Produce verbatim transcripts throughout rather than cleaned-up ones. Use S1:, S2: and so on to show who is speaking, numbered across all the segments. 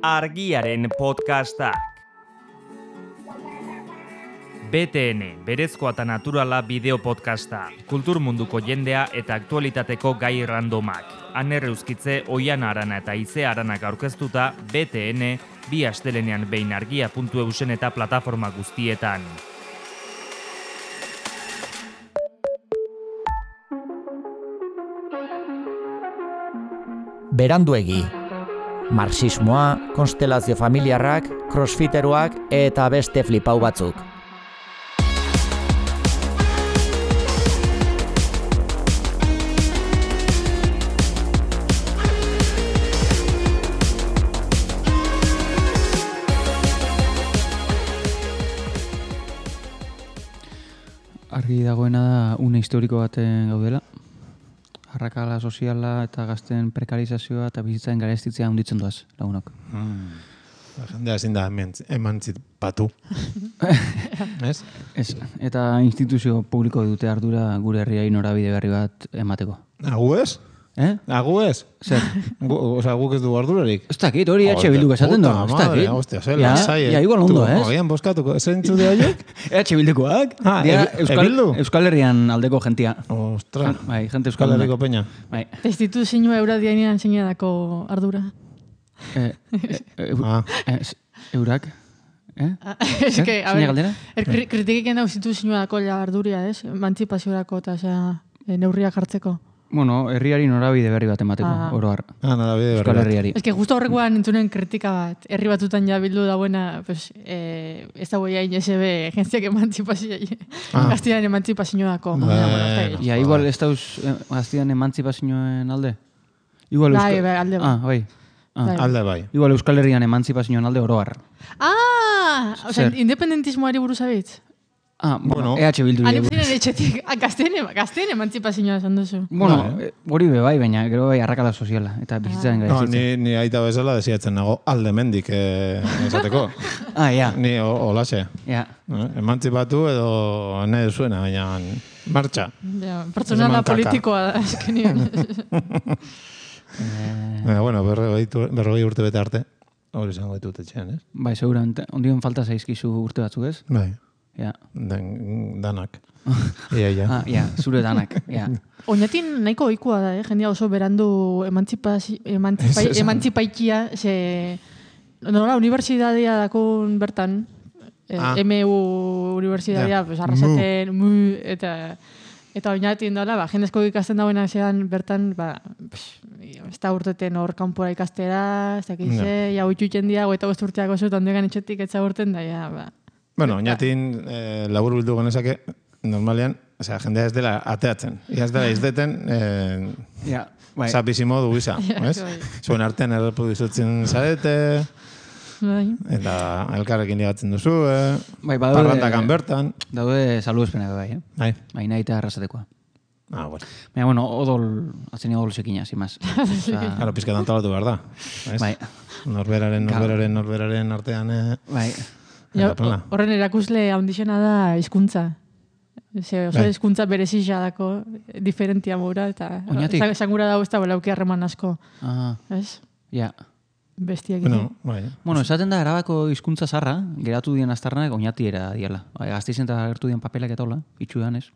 S1: Argiaren podcastak. B T N, berezkoa eta naturala bideo podcasta, kultur munduko jendea eta aktualitateko gai randomak. Aner Euskitze, Oiana Arana eta Ize Aranak aurkeztuta B T N, bi astelenean behin argia puntu eusen eta plataforma guztietan.
S2: Beranduegi. Marxismoa, konstelazio familiarrak, crossfiteroak eta beste flipau batzuk.
S3: Argi dagoena da une historiko baten gaudela. Arrakala soziala eta gazten prekarizazioa eta bizitzaren garestitzea handitzen doaz, lagunok.
S4: Hmm. Jendea ezin da emantzipatu. Ez?
S3: Ez, eta instituzio publiko dute ardura gure herriari norabide berri bat emateko.
S4: Agu ez?
S3: Eh?
S4: Agu ez?
S3: Zer?
S4: Osa, guk ez du ardurarik?
S3: Ez dakit, hori H Bilduk esaten du. Ez dakit.
S4: Hostia, zer lasai.
S3: Ja, igual ondo, ez?
S4: Oian boskatuko, zer entzu de horiek?
S3: H Bildukoak.
S4: Ah,
S3: Euskal, Euskal Herrian aldeko jentia.
S4: Ostra.
S3: Bai, gente Euskal
S4: Herriko peña.
S3: Bai.
S5: Instituzioa euradianean zeinadako ardura.
S3: Eh,
S4: ah.
S3: Eurak. Eh?
S5: Ez que, a ver,
S3: er,
S5: kritikik da instituzioa dako arduria, ez? Mantzipaziorako eta neurriak hartzeko.
S3: Bueno, herriari norabide berri bat emateko, ah. oro har.
S4: Ah, norabide berri
S3: Euskal Herriari.
S5: Ez que justo horrekoan entzunen kritika bat, herri batutan ja bildu dauena, pues, eh, ez da boia inesebe gentziak emantzipazioa, ah. gaztian emantzipazioa dako.
S3: Ja, igual ez dauz gaztian emantzipazioen alde? Igual
S5: bai, bai, alde bai.
S3: Ah, bai.
S4: Ah. Alde bai.
S3: Igual Euskal Herrian emantzipazioen alde oro har.
S5: Ah! Osa, independentismoari buruz abitz?
S3: Ah, bueno, E H Bildu.
S5: Animzinen etxetik, gazteen emantzipazioa esan duzu.
S3: Bueno, hori be bai, baina gero bai arrakala soziala eta bizitzaren
S4: gara no, ni, ni aita bezala desiatzen nago alde mendik eh, esateko.
S3: Ah, ja.
S4: Ni olaxe.
S3: Ja.
S4: Eh, emantzipatu edo nahi zuena, baina martxa.
S5: Ja, pertsonala politikoa da, eskenien.
S4: eh, bueno, berrogei urte bete arte, hori izango ditut etxean, ez?
S3: Bai, seguramente. Ondion falta zaizkizu urte batzuk, ez?
S4: Bai.
S3: Ja.
S4: Den, danak. Ia, ia.
S3: Ah, ja, zure danak. Ja.
S5: Oinatin nahiko ohikoa da, eh? Jendea oso berandu emantzipaikia, ze... Nola, unibertsitatea dakon bertan, ah. M U unibertsitatea, yeah. pues, arrasaten, mu, eta... Eta oinatin dola, ba, jendezko ikasten dagoena zean bertan, ba, ez da urteten hor kanpora ikastera, ez dakize, no. Ja, uitxutzen diago, eta bost urteako zut, ondegan etxetik etza urten da, ja, ba...
S4: Bueno, oinatin eh, labur bildu genezake, normalean, o sea, jendea ez dela ateatzen. Ia ez dela izdeten, eh,
S3: ja, bai.
S4: Zapizimo du gisa, ez? Zuen artean erreproduzitzen zarete,
S5: bai.
S4: Eta elkarrekin ligatzen duzu, eh?
S3: Bai,
S4: parrandakan bertan.
S3: Daude saludespenak bai, eh?
S4: Bai.
S3: Bai, nahi eta arrasatekoa.
S4: Ah, bueno.
S3: Baina, bueno, odol, atzenia odol sekina, sin más.
S4: Claro, pizkat antalatu behar da.
S3: Bai.
S4: Norberaren, norberaren, norberaren artean, eh?
S3: Bai.
S5: Ja, horren erakusle handixena da hizkuntza. Ze, oso hizkuntza berezia dako, diferentia mura, eta sangura dago ez da belauki harreman asko.
S3: Ah.
S5: Ez?
S3: Ja.
S5: Bestiak.
S4: Bueno, bai.
S3: Bueno, esaten da erabako hizkuntza zarra, geratu dien aztarnak oinatiera diala. Gazteizen eta gertu dien papelak eta hola, itxudan ez.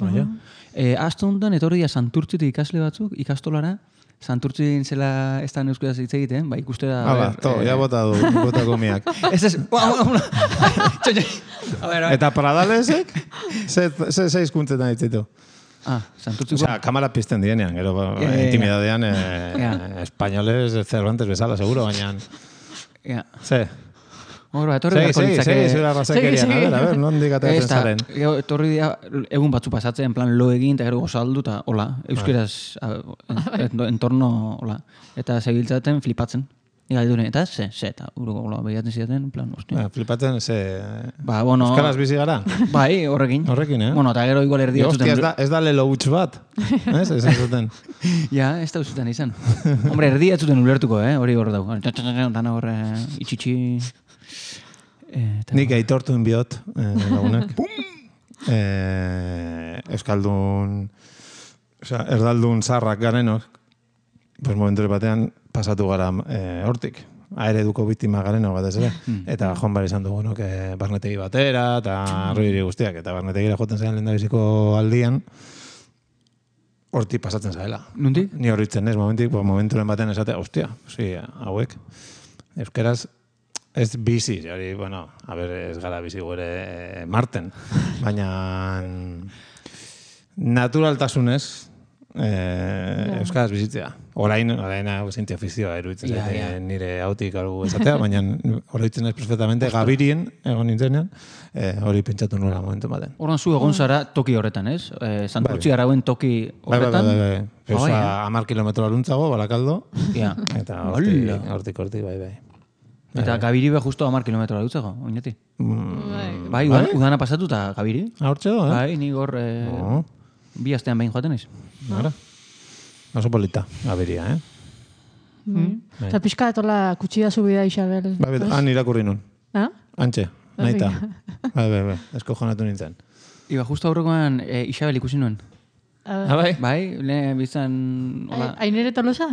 S4: Baina.
S3: Eh, Asto honetan, etorri dia Santurtzitik ikasle batzuk, ikastolara, Santurtzin zela ez da euskaraz hitz egiten, ba, ikustera...
S4: Ah, ba, to, ja bota du, bota gomiak.
S3: Ez ez,
S4: eta Pradalesek, ze hizkuntzetan hitzitu?
S3: Ah, Santurtziko...
S4: Osea, kamara pizten dienean, gero, intimidadean, espainoles, Cervantes bezala, seguro, baina...
S3: Ja.
S4: Ze?
S3: Hora, etorri beharko
S4: litzake... Segi, segi, zura razakerian, a ver, a ver, nondik ateatzen zaren.
S3: Etorri dira, egun batzu pasatzen, en plan, lo egin, eta gero gozaldu, eta hola, euskeraz, entorno, hola, eta sebiltzaten flipatzen. Iga dure, eta ze, ze, eta uruko hola, behiatzen zidaten, en plan, ostia.
S4: Flipatzen, ze...
S3: Ba, bueno...
S4: Euskaraz bizi gara?
S3: Bai, horrekin.
S4: Horrekin, eh?
S3: Bueno, eta gero igual erdia zuten...
S4: Hostia, ez da lelo huts bat, ez? Ez zuten.
S3: Ja, ez da zuten izan. Hombre, erdia zuten ulertuko, eh? Hori hor dago. Dana horre, itxitxi...
S4: Nik aitortuen biot, lagunak. Euskaldun, osea, erdaldun zarrak garenok, pues momentu batean pasatu gara hortik. aereduko biktima garen hor batez ere. Eta joan behar izan dugu, nok, barnetegi batera, eta roiri guztiak, eta barnetegira joten zailan lehendabiziko aldian, hortik pasatzen zaela.
S3: Nundik?
S4: Ni horritzen ez, momentik, momenturen batean esatea, ostia, osi, hauek, euskeraz, ez bizi, hori, bueno, a ber, ez gara bizi gure marten, baina naturaltasunez, Eh, euskaraz bizitzea. Orain, orain zinti ofizioa eruditzen yeah, yeah. nire hautik algu esatea, baina oroitzen ez perfectamente gabirien, egon nintzenean, eh, hori pentsatu nola momentu baten.
S3: Horan zu egon zara toki horretan, ez? Eh, Santurtzi arauen toki horretan?
S4: Bai, bai, bai. Eusa, bai, amar kilometro aluntzago, Barakaldo,
S3: yeah.
S4: eta hortik, hortik, hortik, bai, bai.
S3: Eta eh. Gabiri be justo amar kilometro alutzago, oinati?
S4: Mm,
S3: bai, bai, udana pasatu eta Gabiri?
S4: Hortzego, eh?
S3: Bai, nik hor... Eh, oh. Bi astean behin joaten naiz.
S4: Ara. Oso polita, Gabiria, eh?
S5: Mm. Eta pixka etola kutsida subida Isabel.
S4: Bai, bet, han irakurri nun.
S5: Ah?
S4: Antxe, naita. Bai, bai, bai, esko jonatu nintzen.
S3: Iba, justo aurrekoan e, Isabel ikusi nuen.
S5: Ah,
S3: bai? Bai, lehen bizan...
S5: Ainere Tolosa?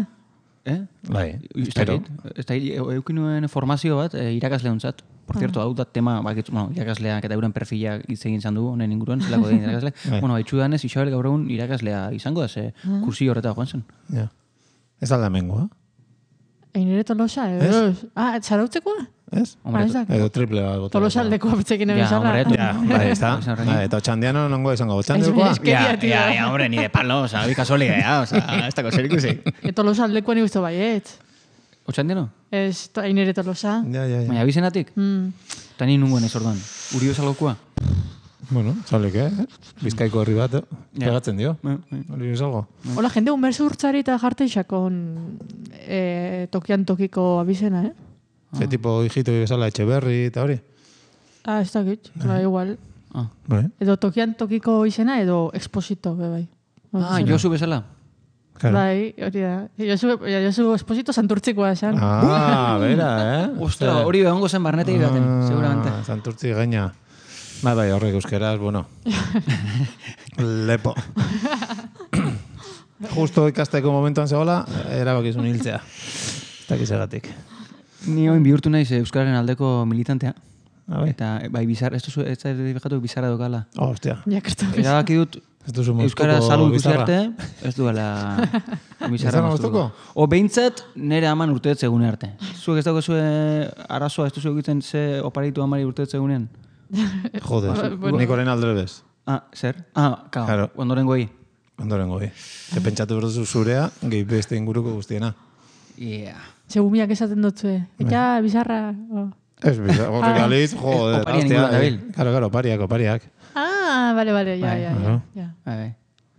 S3: Eh?
S4: Bai,
S3: espero. Ez da, eukin nuen formazio bat, e, irakasle hontzat. Por cierto, hau da tema, bakitzu, bueno, irakasleak eta euren perfila hitz egin izan du, honen inguruan, zelako egin irakasle. Bueno, haitxu danez, Isabel gaur egun irakaslea izango da, ze kursi horreta joan zen.
S4: Ja. Ez alda mengoa?
S5: Ainere Tolosa, edo. Ah, txarautzekoa?
S4: Ez? Edo triple bat bota.
S5: Tolosa aldekoa betzekin ebizala.
S4: Ja, bai, ez da. Eta txandiano nongo izango, txandiakoa?
S3: Ja, ja, ja, hombre, ni de palo, oza, bika solia, ja, oza, ez dako zer ikusi.
S5: Tolosa aldekoa ni guztu baiet.
S3: Otxandiano?
S5: Ez, Ainere Tolosa.
S4: Ja, ja, ja.
S3: Baina bizenatik?
S5: Mm.
S3: Eta ni nungoen ez orduan. Uri bezalgokoa?
S4: Bueno, zalik, eh? Bizkaiko herri bat, pegatzen dio. Uri bezalgo.
S5: Hola, jende unberzu urtzari eta jarte isakon eh, tokian tokiko abizena, eh?
S4: Ze tipo hijito bezala Etxeberri eta hori?
S5: Ah, ez dakit, ba, igual.
S3: Ah.
S5: Edo tokian tokiko izena edo exposito, be bai.
S3: Ah, Josu bezala?
S4: Claro.
S5: Bai, hori da. Josu, Josu Esposito Santurtzikoa esan.
S4: Ah, bera, eh?
S3: Ostra, hori behongo zen barnetegi baten, ah, seguramente.
S4: Santurtzi gaina. Bai, bai, horrek euskeraz, bueno. Lepo. Justo ikasteko momentuan zegoela, erabakizun hiltzea. Ez dakizegatik.
S3: Ni oin bihurtu naiz euskararen aldeko militantea.
S4: Ah, bai.
S3: Eta, bai, bizarra, ez duzu, ez da edifekatu bizarra dokala.
S4: Oh, hostia.
S3: Erabaki dut, euskara salu ikusi arte, ez duela bizarra moztuko. O behintzat, nire aman urteetze egune arte. Zuek ez dago zue arazoa, ez duzu egiten ze oparitu amari urteetze egunean?
S4: Joder, nik horren aldrebez.
S3: Ah, zer? Ah, claro. Ondoren goi.
S4: Ondoren goi. Ze pentsatu berduzu zurea, gehi beste inguruko guztiena.
S3: Yeah.
S5: Segumiak esaten dutzue. Eta bizarra...
S4: Ez bizarra, horrek aliz, joder.
S3: Oparian inguruan dabil.
S4: Karo, karo, opariak, opariak.
S5: Ah, bale, bale, ja, ja, ja.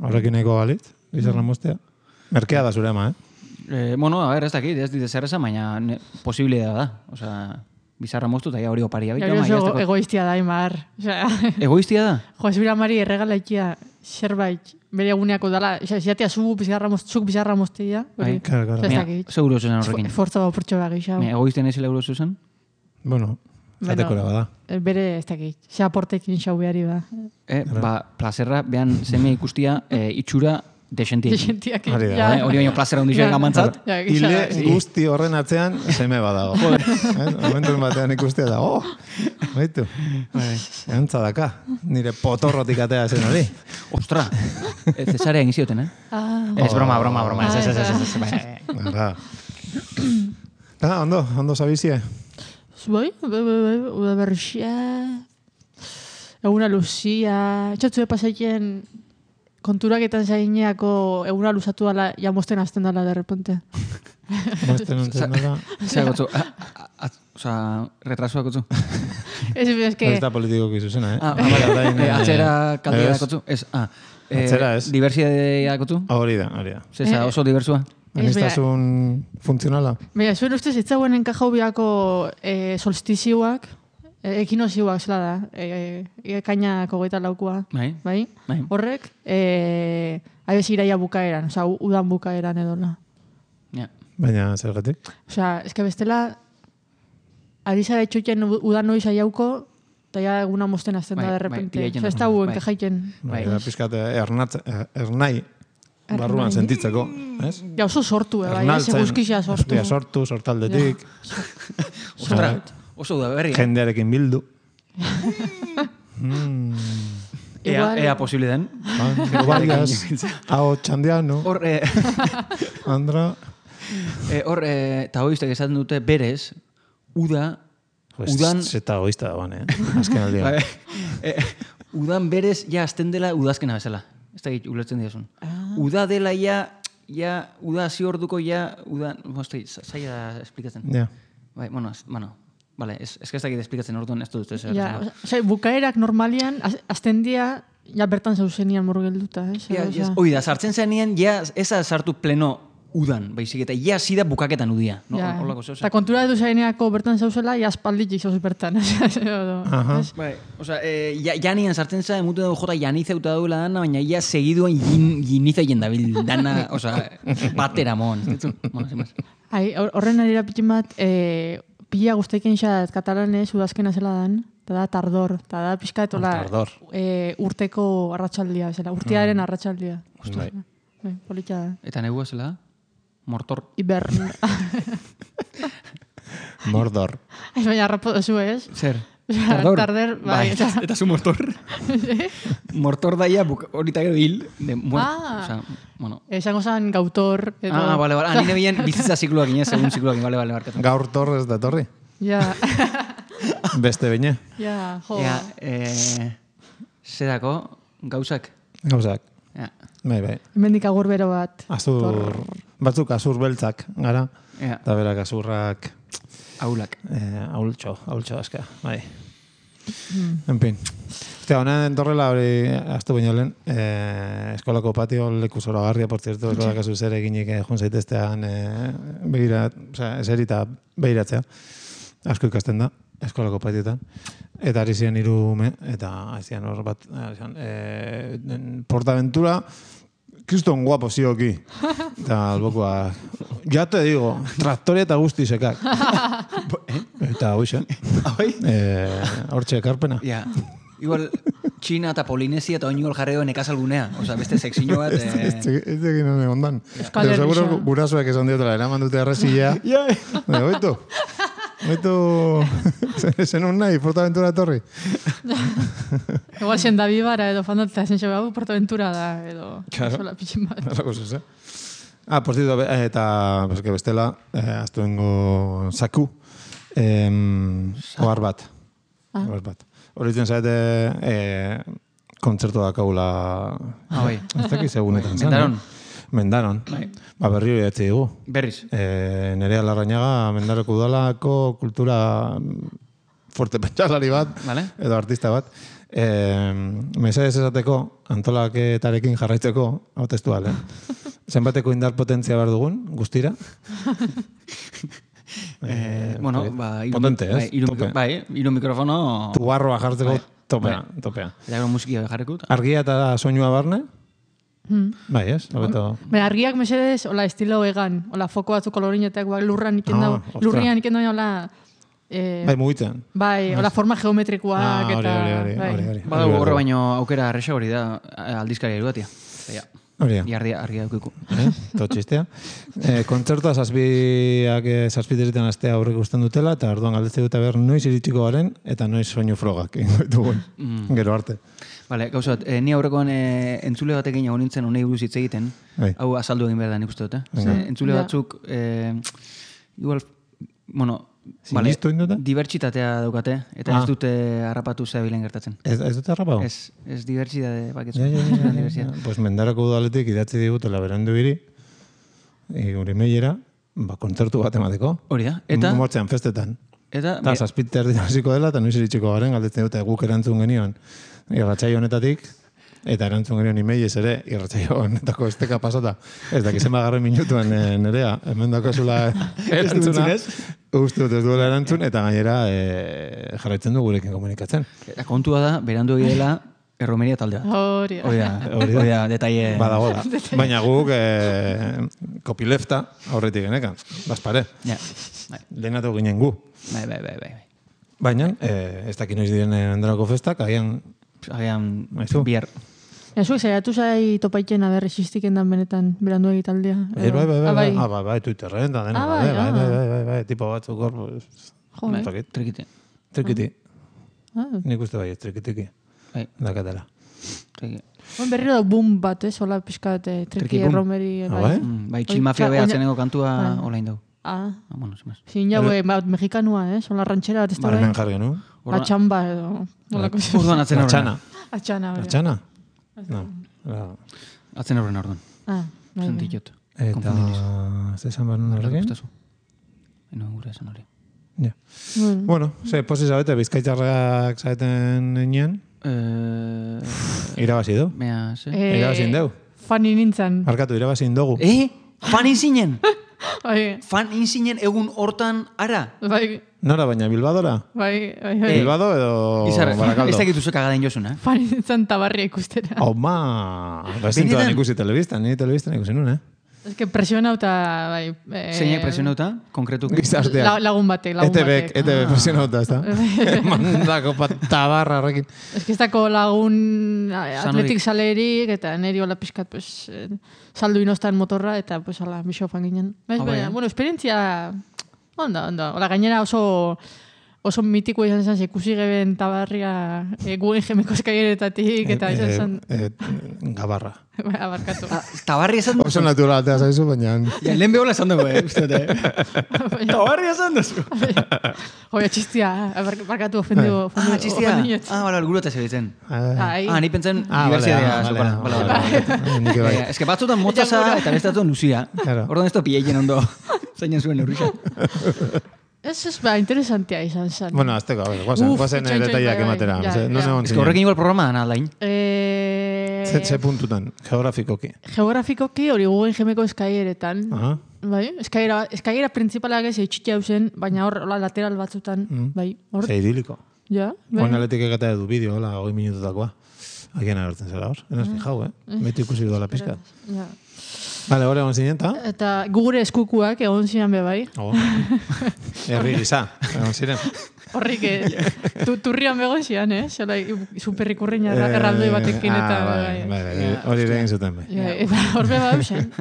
S4: Horrekin eko galit, bizarra moztea. Merkea da zure ama,
S3: eh? Bueno, a ver, ez dakit, ez dit zer esan, baina posibilidad da. Osa, bizarra moztu eta hori oparia.
S5: Ego egoiztia da, Imar.
S3: Egoiztia da?
S5: Jo, ez bera mari erregalaikia zerbait bere eguneako dala. Ziatea zuk bizarra moztea.
S4: Claro, claro.
S3: Seguro zen horrekin.
S5: Forza bau portxo behar gixau.
S3: Egoizten ezila euro zuzen?
S4: Bueno, zatekora bada.
S5: Bere, ez dakit, ze aportekin xau behari ba.
S3: Ba, plazerra, behan zeme ikustia itxura desentiak.
S5: Desentiak.
S3: Hori baino plazera ondixoak amantzat.
S4: Ile guzti horren atzean zeme badago. Momentuen batean ikustia da, oh, baitu. Eantza daka, nire potorrotik atea zen hori.
S3: Ostra, Cesarea egin zioten, eh? Ez broma, broma, broma. Ez, ez, ez, ez.
S4: Ah, ondo, ondo zabizie.
S5: Bai, bai, bai, uda berxia, eguna luzia, etxatzu pasaiten konturaketan zaineako eguna luzatu dala, ja mosten azten dala de repente.
S4: Mosten azten dala?
S3: Zea gotzu, oza, retrasua gotzu.
S5: Ez, ez que...
S4: Ez da politiko kizuzena, eh?
S3: Ah, atzera kaldia da gotzu. Ez, ah,
S4: atzera ez.
S3: Diversidadea gotzu?
S4: Hori da, hori da.
S3: Zeza, oso diversua.
S4: Anistazun funtzionala?
S5: Baina, zuen ustez, ez zauen enkajau biako e, solstizioak, e, ekinozioak zela da, e, e, kainako goita laukua.
S3: Bai.
S5: Bai?
S3: Bai.
S5: Horrek, e, aibez iraia bukaeran, oza, udan bukaeran edola.
S3: Ja.
S4: Baina, zergatik?
S5: Oza, ezke bestela, ari zara etxoiten udan noiz aiauko, eta ja eguna mosten azten da, de repente. Oza, ez da huen kajaiken.
S4: Bai, pizkat, ernai, barruan sentitzeko, ez?
S5: Ja, oso sortu, eh, bai, ez eguzkixia sortu.
S4: Eguzkia sortu, sortaldetik.
S3: Ostra, oso da berri.
S4: Jendearekin bildu.
S3: Ea, ea posible den.
S4: Varias, hau txandiano,
S3: Hor, eh,
S4: Andra.
S3: eh, hor, eh, taoistek esaten dute berez, uda, udan...
S4: Zeta goizta dagoan, eh? Azken aldia.
S3: Bai, eh, udan berez, ja, azten dela udazkena bezala. Ez da git, ulertzen diazun. Uda dela, ja, ja, uda hasi orduko, ja, uda... Mostri, zaila da esplikatzen.
S4: Ja.
S3: Bai, bueno, ez, bueno, vale, ez, ez da git esplikatzen orduan, ez dut ez.
S5: Ja, osea, bukaerak normalian, az- azten dia, ja bertan zauzenian murgelduta, eh?
S3: Ja, ja, hoi da, sartzen zenean, ja, ez da sartu pleno udan, baizik, eta ja zida bukaketan udia. No?
S5: Ja.
S3: Horlako zeu,
S5: Eta kontura edu zaineako bertan zauzela, ja aspalditik zauz bertan.
S4: Aha.
S3: Bai, osea, eh, ja, janian sartzen za, emutu dugu jota janizeuta duela dana, baina ja segiduan gin, ginizeien dabil dana, osea, batera mon. Bueno, sin más.
S5: Ai, hor- horren arira pitin bat, eh, pila guztaiken xat katalanez udazkena zela dan, eta da tardor, eta da pixkatola
S4: Tardor.
S5: eh, urteko arratsaldia, bezala, urtearen arratsaldia.
S4: Bai.
S5: Bai, polita da.
S3: Eta negua zela, mortor.
S5: Ibern.
S4: Mordor.
S5: Ez baina harrapo duzu, ez?
S3: Zer?
S5: Tardor. Tarder, bai.
S3: eta, eta zu mortor. Mortor daia buk- horita gero hil, de muert.
S5: Ah.
S3: Osea, bueno.
S5: Esango zan gautor. Edo...
S3: Ah, vale, vale. Anine bien bizitza zikloak inez, segun zikloak, vale, vale, barkatu.
S4: Gaur torrez da torri.
S5: Ja,
S4: Beste beine.
S5: ja, jo.
S3: Ea, eh, zedako, gauzak.
S4: Gauzak.
S3: Ja,
S4: Bai, bai.
S5: Hemendik agur bero bat.
S4: Azur, batzuk azur beltzak, gara.
S3: ea,
S4: Eta berak azurrak,
S3: aulak.
S4: eh, aultxo, aultxo aska, bai. En fin. Ostia, honen torrela hori, aztu baino lehen, eh, eskolako patio leku zoragarria, por cierto, eskolak azu zer eginik eh, jun zaiteztean eh, begira, osea, eserita behiratzea. Asko ikasten da, eskolako patioetan. Eta ari ziren hiru ume, eta ari ziren hor bat, ari ziren, eh, Portaventura, kriston guapo zioki. Eta albokoa, ya te digo, traktoria eta guzti sekak. Eta hoxe,
S3: Ahoi?
S4: eh, hortxe ekarpena.
S3: Ja, igual, China eta Polinesia eta oinugol jarreo nekazalgunea. Osa, beste seksiño bat...
S4: Ez
S3: Eh,
S4: ez egin honen ondan.
S5: Euskal
S4: Pero seguro
S5: Herrisa.
S4: gurasoak esan diotela, eraman dute arrezia.
S3: Ja,
S4: Baina, oitu. Oitu, zenun nahi, Portaventura etorri.
S5: Igual zen da bibara edo fandatzea zen xo hau Portaventura da edo
S4: Claro.
S5: sola pitxin bat.
S4: Alako zuz, eh? Ah, por cierto, be- eta, pues, que bestela, eh, aztuengo saku, em, ohar bat. Ohar bat. Horitzen zaite, eh, kontzertu dakagula,
S3: Ah, bai.
S4: ez dakiz egunetan zen.
S3: Mendaron.
S4: eh? Mendaron.
S3: Bai.
S4: Ba, berri hori etzi dugu.
S3: Berriz.
S4: E, Nerea Larrañaga, Mendaroko udalako kultura mm, fuerte pentsalari bat,
S3: Vale.
S4: edo artista bat. E, mesedez esateko, antolaketarekin jarraitzeko, hau testual, eh? Zenbateko indar potentzia behar dugun, guztira?
S3: Eh, bueno, ba... Iru,
S4: potente, ez?
S3: Bai, iru,
S4: Tope.
S3: bai, iru mikrofono...
S4: Tubarroa jartzeko,
S3: Bai.
S4: topea, topea.
S3: Eta gero musiki jarriko.
S4: Argia eta soinua barne?
S5: Hmm.
S4: Bai, ez? Hobeto.
S5: Baina argiak mesedez, hola estilo egan, hola foko batzuk kolorinetak, ba, lurran iken
S4: Ah,
S5: dau,
S4: ostra.
S5: lurrian iken dau, hola, eh,
S4: Bai, mugitzen.
S5: bai, hola forma geometrikoak,
S4: Ah, hori,
S5: eta,
S4: hori, hori,
S5: bai.
S4: hori, hori.
S3: Badago horre baino aukera arresa hori da aldizkaria irugatia. Ja,
S4: Hori da.
S3: jarria argia daukiku.
S4: Eh? Todo txistea. Eh, kontzertua zazpiak eh, zazpiterritan astea aurre ikusten dutela, eta orduan galdetze dute ber noiz iritsiko garen, eta noiz soinu frogak egingo ditugun. Gero arte.
S3: Vale, gauza bat, eh, ni aurrekoan eh, entzule batekin egon nintzen honei buruz hitz egiten.
S4: Bai.
S3: Hau azaldu egin behar da nik uste dut, eh? Ze, entzule
S5: Ja.
S3: batzuk, eh, igual, bueno,
S4: Sinistu egin dute?
S3: dibertsitatea daukate, eta
S4: Ah.
S3: ez dute harrapatu zebilen gertatzen.
S4: Ez, ez dute harrapau?
S3: Ez, ez dibertsitate baketzu.
S4: Ja, ja, ja, ja, ja.
S3: Dibertsitate.
S4: Pues mendarako udaletik idatzi digutela berandu biri, e, gure meilera, ba, kontzertu bat emateko.
S3: Hori da, eta,
S4: Motzean, festetan.
S3: eta,
S4: Eta zazpit erdi hasiko dela, eta noiz iritsiko garen, galdetzen dute guk erantzun genion irratsaio honetatik, eta erantzun genion imeiez ere, irratsaio honetako esteka pasata. Ez dakit zenba garren minutuen e, nerea, hemen dakozula erantzuna. Uste dut ez duela erantzun, eta gainera e, jarraitzen du gurekin komunikatzen.
S3: eta kontua da, berandu egidela, erromeria talde bat.
S5: Hori da.
S3: Hori da,
S4: Hori da.
S3: hori da, detaile...
S4: Badago da. Baina guk e, kopilefta aurretik genekan, bazpare.
S3: Ja, bai,
S4: Lehenatu ginen gu.
S3: bai, bai, bai, bai.
S4: Baina, e, ez dakit noiz diren endarako festak, agian
S3: Agian,
S4: Aizu.
S3: bihar.
S5: Zuek zaiatu zai topaiten aber existiken dan benetan berandu egitaldia.
S4: Bai, bai, bai, bai, ah, bai, bai, Twitterren, da dena, bai, bai, bai, bai, bai, tipo batzuk hor,
S3: Trikiti.
S4: Trikiti. Nik uste bai, trikitiki. Dakatela.
S3: Trikiti.
S5: Bon, berriro da boom bat, ez, hola pixkat, triki erromeri.
S3: Bai, txilmafia behatzeneko kantua olain dau.
S5: Ah.
S3: Bueno, sin más.
S5: Sin jau, mexikanua, eh? Son la ranchera bat ez da
S4: bai. Baren jarri genu.
S5: Atxamba edo.
S3: Urduan atzen horren.
S5: Atxana.
S4: Atxana? No.
S3: Atzen horren orduan.
S5: Ah, bai.
S3: Sentikot.
S4: Eta, ez esan behar nuen horrekin?
S3: Eno, gure esan hori.
S4: Ja. Bueno, ze, posi zabete, bizkaitzarrak zaeten nien? Irabazi du.
S3: Mea, ze?
S4: Irabazin deu.
S5: Fani nintzen.
S4: Arkatu, irabazin dugu.
S3: Eh? Fan inzinen?
S5: Bai.
S3: Fan inzinen egun hortan ara?
S5: Bai.
S4: Nora, baina Bilbadora?
S5: Bai, bai, bai.
S4: Bilbado edo Barakaldo?
S3: Ez dakitu zuek agaden jozun, eh?
S5: Fan nintzen tabarria ikustera.
S4: Homa! Rezintuan ikusi telebistan, ni telebistan ikusi nun, eh?
S5: Ez que presionauta, bai...
S3: Zeinak presionauta, konkretu?
S4: Gizarteak.
S5: Lagun batek, lagun batek.
S4: E T B presionauta, ez da? Mandako tabarra horrekin.
S5: Ez que ez dako lagun atletik salerik, eta neri hola pixkat, pues, saldu inostan motorra, eta, pues, ala, bisofan ginen. Bueno, esperientzia... Onda, onda. Ola, gainera oso... Oso mitiko izan zen, ikusi geben tabarria guen jemeko eskaieretatik, eta izan zen...
S4: Gabarra.
S5: Abarkatu.
S3: Tabarria esan duzu?
S4: Oso naturalatea zaizu, baina...
S3: Lehen behola esan dugu, eh, uste dute. Tabarria esan duzu.
S5: Joia, txistia, abarkatu ofendu.
S3: Ah, txistia. Ah, bala, guru eta segitzen. Ah, ni pentsen diversidadea. Ez que batzutan motzaza eta bestatuan luzia. Orduan ez da pileien ondo. Zainen zuen eurrisa.
S5: Ez ez, ba, interesantea izan zen.
S4: Bueno, azteko, a ver, guazen, guazen detaiak ematera. Ez
S3: que horrekin igual programa da nadain.
S4: Ze puntutan, geografikoki.
S5: Geografikoki hori guen jemeko eskaieretan. Bai, eskaiera principalak ez eitxitia hausen, baina hor lateral batzutan. Bai, hor.
S4: Ze idiliko.
S5: Ja.
S4: Oin aletik egata edu bideo, hola, hogei minututakoa. Agian agertzen zela hor. Enaz fijau, eh? Beti ikusi duela pizkat.
S5: Ja.
S4: Vale, hori egon zinen, eta?
S5: Eta gugure eskukuak egon ziren be bai.
S4: Oh. Herri gisa, egon ziren.
S5: Horrik, turrian begon ziren, eh? Zola, superrikurriña erraldoi batekin eta...
S4: Hori egin zuten bai.
S5: Eta hor be bau zen.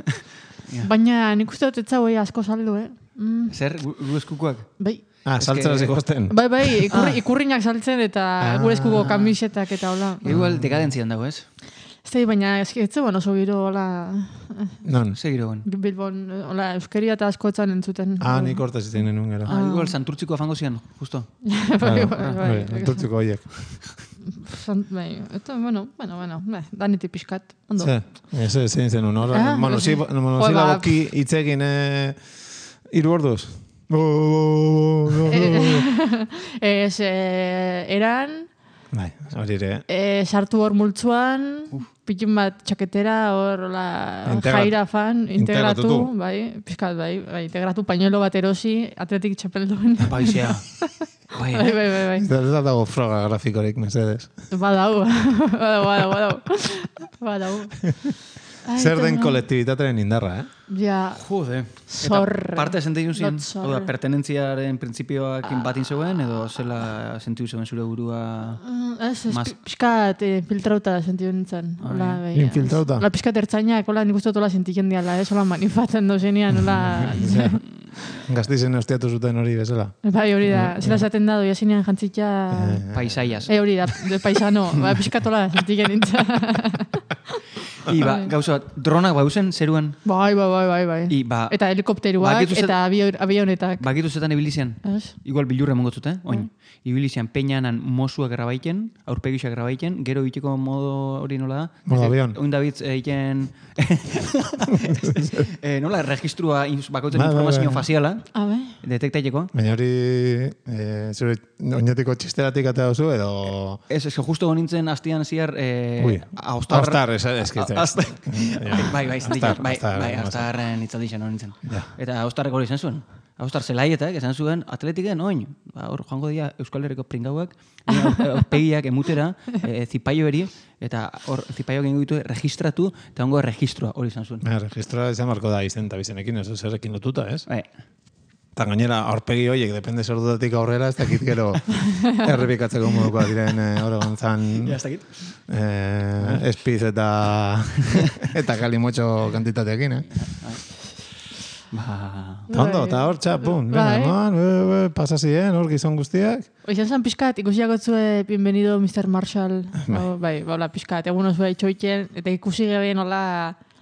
S5: Baina nik uste dut etzau asko saldu, eh?
S3: Zer, gure eskukuak?
S5: Bai.
S4: Ah, saltzen hasi gosten.
S5: Bai, bai, ikurriñak saltzen eta gure eskuko kamisetak eta hola.
S3: Igual dekadentzian dago, ez?
S5: Ez baina ez zegoen oso giro, hola...
S3: Non? Ze giro guen?
S5: Bilbon, hola, euskeria eta asko etzan entzuten.
S4: Ah, nik hortaz izan nenun gara.
S3: Ah, igual, santurtziko afango zian, justo.
S4: Santurtziko horiek.
S5: Eta, bueno, bueno, bueno, daniti pixkat, ondo.
S4: Ze, ez zein zen un hor. Monozilaboki itzegin hiru orduz.
S5: Ez, eran...
S4: Bai, hori ere.
S5: Sartu hor multzuan, pikin bat txaketera, hor jaira fan, integratu, bai, pizkat, bai, integratu pañuelo bat erosi, atletik txapelduen.
S3: Baizea.
S5: Bai, bai, bai, bai.
S4: Ez da dago froga grafikorik, mesedes.
S5: Badau, badau, badau, badau.
S4: Zer den kolektibitatearen indarra, eh?
S5: Ja,
S3: jode.
S5: zorra.
S3: Parte sentiu zien? Oda, pertenentziaren printzipioakin batin zegoen, edo zela sentiu zegoen zure burua...
S5: Ez, ez, pixkat infiltrauta sentiu nintzen.
S4: Infiltrauta?
S5: La pixkat ertzainak, hola, nik uste tola sentiken diala, ez, hola, manifatzen dozenean, hola...
S4: Gaztizen ostiatu zuten hori bezala.
S5: Bai, hori da, zela zaten da, doia zinean jantzitza...
S3: Paisaias.
S5: E, hori da, de paisano, pixkat hola sentiken nintzen.
S3: I, ba, gauza bat, dronak bauzen zeruan?
S5: Bai, bai, bai, bai, bai.
S3: I, ba,
S5: eta helikopteruak eta avionetak.
S3: Bakitu zetan ibilizian? Igual bilurra mongotzut, eh? Oin. Ibilizian peinanan mosuak grabaiken, aurpegisak grabaiken, gero bitiko modo hori nola da?
S4: Modo avion.
S3: Oin David egiten... Nola, registrua bakoitzen informazio faziala.
S5: Ah, bai.
S3: Detektaileko.
S4: Baina hori, zure oinetiko txisteratik atea duzu, edo...
S3: Ez, ez, justo nintzen hastian ziar...
S4: Ui, haustar, ez kitzen.
S3: Bai, bai, zintik, bai, bai, haustarren itzaldixen hori nintzen. Eta haustarrek hori izan zuen. Haustar zelaietak, esan zuen, atletiken, oin, hor joango dira Euskal Herriko pringauak, pegiak emutera, zipaio eri, eta hor zipaioak egin ditu registratu, eta hongo registroa hori izan zuen.
S4: Registroa izan marko da izen eta bizenekin, ez zerrekin lotuta, ez?
S3: Bai.
S4: Eta gainera, aurpegi horiek, depende sordudatik aurrera, ez dakit gero errepikatzeko modukoa diren eh, Oregon zan
S3: Ja, ez dakit.
S4: eh, espiz eta eta kalimotxo kantitateekin, eh?
S3: Ba...
S4: Eta ondo, eta hor txapun, venga, eman, pasa ziren, hor gizon guztiak.
S5: Oizan zan pixkat, ikusiak otzue, bienvenido mister Marshall. O, bai, baula pixkat, egun oso itxoitzen, eta ikusi geben, hola...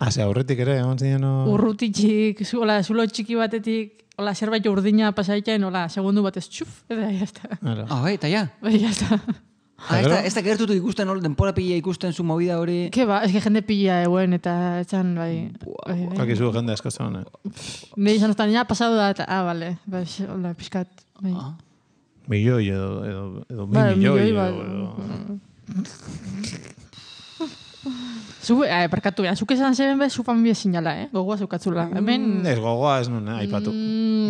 S4: Hase, aurretik ere, egon ziren...
S5: Urrutitxik, hola, zulo txiki batetik, hola, zerbait urdina pasaitzen, hola, segundu batez txuf, eta jazta.
S3: Ah, bai, eta ja.
S5: Bai, jazta.
S3: Ah, ez da, ez da gertutu ikusten, hor, denpora pila ikusten zu movida hori...
S5: Ke ba, ez que jende pila eguen, eta etxan, bai... bai, bai.
S4: Hakizu jende asko zuen, eh?
S5: Nei izan oztan, ja, pasadu da, eta, ah, bale, bai, hola, pixkat, bai.
S3: Ah.
S4: Milioi edo, edo, edo mi
S5: Bai,
S4: milioi.
S5: milioi,
S4: edo,
S5: bai. Zu, eh, perkatu, ja, zuk esan zeben bez, zu familia sinala, eh? Gogoa zukatzula. Hemen...
S4: Ez gogoa ez nuen, eh, aipatu.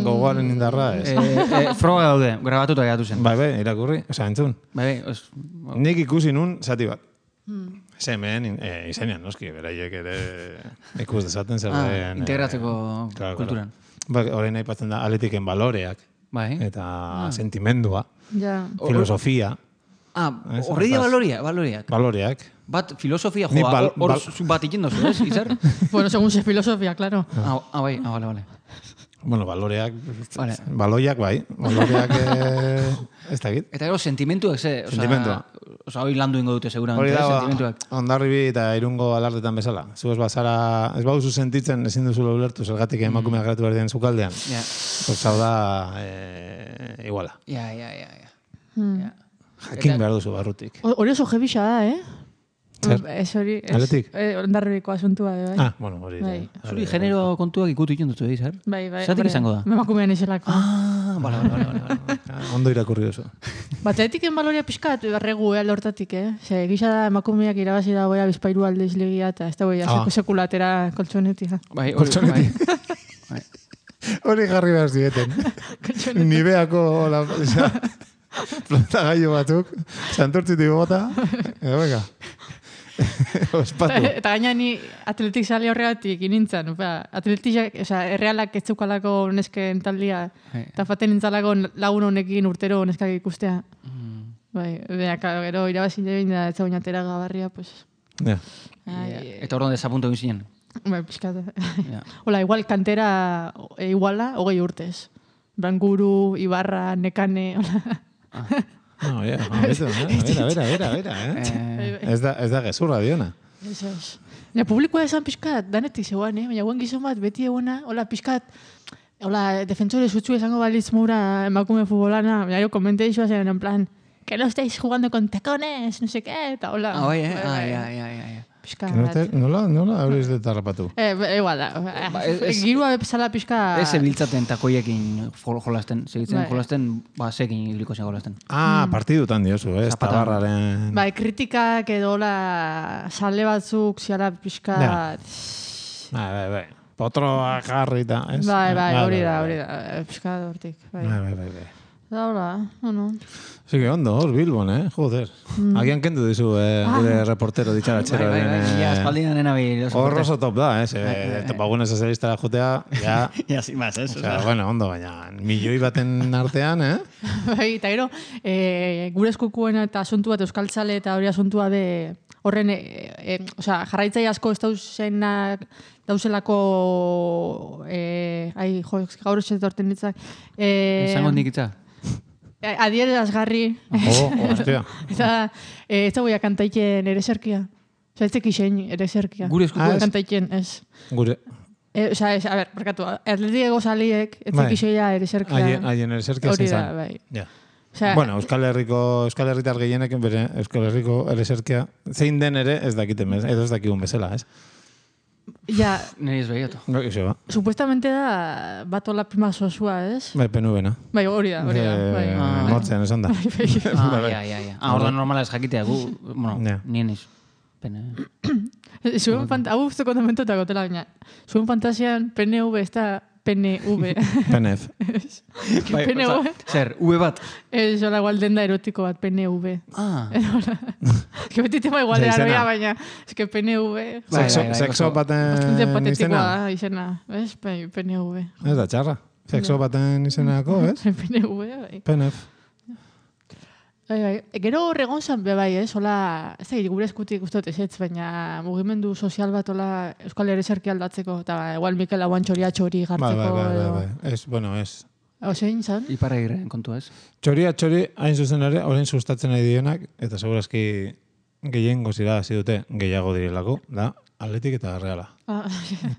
S4: Gogoaren indarra ez.
S3: Eh, eh, froga daude, grabatuta geratu zen.
S4: Bai, bai, irakurri, oza, entzun.
S3: Bai, bai, os...
S4: Nik ikusi nun zati bat. Zemen, eh, izenean, noski, beraiek ere ikus dezaten zer
S3: Ah,
S4: den...
S3: integratzeko
S4: claro,
S3: kulturan.
S4: Ba, orain aipatzen da atletiken baloreak,
S3: Bai.
S4: eta sentimendua,
S5: Ja.
S4: filosofia,
S3: Ah,
S4: Ez,
S3: horri dia
S4: hortaz.
S3: baloria, baloriak.
S4: baloreak.
S3: Bat, filosofia,
S4: Nik
S3: joa,
S4: bal-
S3: hor
S4: bal-
S3: zu bat ikin dozu, ez, Izar?
S5: Bueno, según se filosofia, claro.
S3: Ah, ah, bai, ah, bale, bale.
S4: Bueno, baloreak,
S3: Vale.
S4: baloiak bai, baloreak eh, ez dakit.
S3: Eta gero, sentimentuak, ze? Osa,
S4: Sentimentua.
S3: Osa, hori landu ingo dute,
S4: Hori
S3: seguramente,
S4: da,
S3: eh, sentimentuak.
S4: Ondarribi eta irungo alardetan bezala. Zu ez bazara, ez bauzu sentitzen, ezin duzu ulertu zergatik emakumeak geratu behar diren zukaldean.
S3: Ja,
S4: Pues hau da, eh, iguala.
S3: ja, ja, ja. ja. Ja.
S4: Jakin behar duzu barrutik.
S5: O- Hori oso jebixa da, eh?
S4: Zer?
S5: Ez hori... ez-
S4: Atletik?
S5: Eh, ondarribiko asuntua, bai.
S4: Ah, bueno, hori.
S5: Bai.
S3: Zuri genero kontuak ikutu ikin dutu, Izar?
S5: Bai, bai.
S3: Zatik
S5: hombre,
S3: izango da?
S5: Emakumean izelako.
S3: Ah, bale, bale, bale, bale.
S4: Ah, ondo irakurri duzu.
S5: Batzetiken baloria pixkat, berregu, eh, lortatik, eh? Ze, gisa da emakumeak irabazi da boia bizpairu aldeiz ligia, eta ez da boia
S4: Ah.
S5: ah. sekulatera koltsonetik.
S3: Bai, hori,
S4: Koltsonetik.
S3: bai.
S4: Hori jarri behar zieten. Nibeako, hola, oza, plantagailu batzuk, santurtzitik bota, edo venga. Ospatu.
S5: Eta gaina ni atletik sali horregatik inintzen, ba, atletik, oza, errealak ez zeukalako nesken taldia,
S3: Bai.
S5: eta faten nintzalako lagun honekin urtero neskak ikustea. Bai, beha, claro, gero irabazi jebin da, ez zagoen atera gabarria, pues...
S4: Ja.
S5: Ai,
S3: Eta hor donde desapunto egin zinen.
S5: bai, pixkat.
S3: Ja.
S5: Hola, igual kantera e, iguala, hogei urtez. Branguru, Ibarra, Nekane, hola.
S4: No, ja, a ver, a ver, a ver, a ver, eh?
S3: Eh,
S4: Ez da, ez da gezurra diona.
S5: Eso es. Ja, publikoa esan pixkat, danetik zegoan, eh? Baina guen gizon bat, beti egona, hola, pixkat, hola, defensore zutzu esango balitz mura emakume futbolana, baina jo, komente isoa zen, en plan, que no estáis jugando con tacones, no sé qué, eta hola.
S3: ah, bai, eh? Ah, ja, ja, ja, ja.
S5: Pixkat.
S4: Que no te, nola, nola horiz de tarrapatu.
S5: Eh, ba, igual da.
S3: Ba, ez- ez-
S5: Girua bezala pixka...
S3: Ez ebiltzaten takoiekin jol- jolasten, segitzen
S5: Bai.
S3: jolasten, ba, sekin ibiliko zen jolasten.
S4: Ah, partidutan diozu, eh?
S3: Zapatan.
S4: Tabarraren...
S5: Bai, kritikak edo hola, sale batzuk ziala pixka...
S4: Ja. Bai, bai, bai. Potroa jarri eta, ez?
S5: Bai, bai, hori da,
S4: bai,
S5: hori da. eh, Pixka hortik. Bai.
S4: Bai, bai, bai, bai.
S5: Da hola, bueno.
S4: Sí que ondo, hor Bilbon, eh? Joder. Agian kendu dizu, eh, gure reportero ditxaratxero.
S3: Bai, bai, bai, ja, espaldian nena bi.
S4: Hor oso top da, eh? Ze, topagunez sozialistara jotea, ja...
S3: Ja, sin más, ez?
S4: Osea, bueno, ondo, baina milioi baten artean, eh?
S5: Bai, eta gero, e, gure eskukuena eta asuntu bat euskaltzale eta hori asuntua de horren, e, e, osea, jarraitzai asko ez dauzenak, dauzelako, e, ai, jo, gaur ez dorten ditzak. E,
S3: Esango nik itza.
S5: adierazgarri.
S4: Oh, hostia.
S5: Eta, e, ez dagoia kantaiken ere zerkia. Osa, ez tekixen ere zerkia.
S3: Gure eskuko
S4: Ah, ez?
S5: Kantaiken, ez.
S4: Gure...
S5: E, osa, ez, a ber, barkatu, atletik ego saliek, ez
S4: Bai.
S5: tekixeia ere zerkia.
S4: Haien, haien ereserkia
S5: Hori
S4: zen
S5: da,
S4: zan.
S5: bai.
S4: Ja.
S5: Osea,
S4: Bueno, Euskal Herriko, Euskal Herritar gehienek bere Euskal Herriko ereserkia zein den ere ez dakiten bez, edo ez dakigun bezala, ez?
S5: ja,
S3: Neri ez behiatu.
S4: Iso, ba.
S5: supuestamente da bat hola prima sosua, ez?
S4: Bai, penubena.
S5: Bai, hori da, hori da. Bai.
S3: Ah.
S4: Mortzean esan da.
S3: Ah, ja, ja, ja. Ah, ordan normala ez jakitea, gu, bueno,
S4: Ja.
S3: nien iz. Pene.
S5: Zuen fant hau guztu kontamentotak otela, baina zuen fantasian P N V ez da P N V.
S4: Penef.
S3: Bai,
S5: P N V.
S3: oza, zer, V bat.
S5: Ez hola igual denda erotiko bat, P N V.
S3: Ah,
S5: Que beti tema igual
S4: Ze izena.
S5: era, baina ez que P N V...
S3: Bai,
S4: Sexo,
S3: bai, bai,
S4: sexo
S3: oso-
S5: Bastante
S4: baten
S5: patetikoa
S4: izena.
S5: da izena, ez? Bai, P N V.
S4: Ez da txarra. sexo baten izenako, ez?
S5: P N V, bai.
S4: P N F.
S5: Bai, bai. Gero horregon zan be bai, ez? Hola, ez da, gure eskutik uste dut ezetz, baina mugimendu sozial bat hola Euskal Herri aldatzeko, eta igual Mikel Aguan txoria txori gartzeko.
S4: Bai, bai, bai, bai. Ez, bueno, ez.
S5: Osein, zan?
S3: Iparragirren kontua, ez?
S4: Txoria txori, hain zuzen ere, orain sustatzen nahi dienak, eta segurazki gehien gozira hasi dute gehiago direlako, da, Atletik eta Reala.
S5: Ah.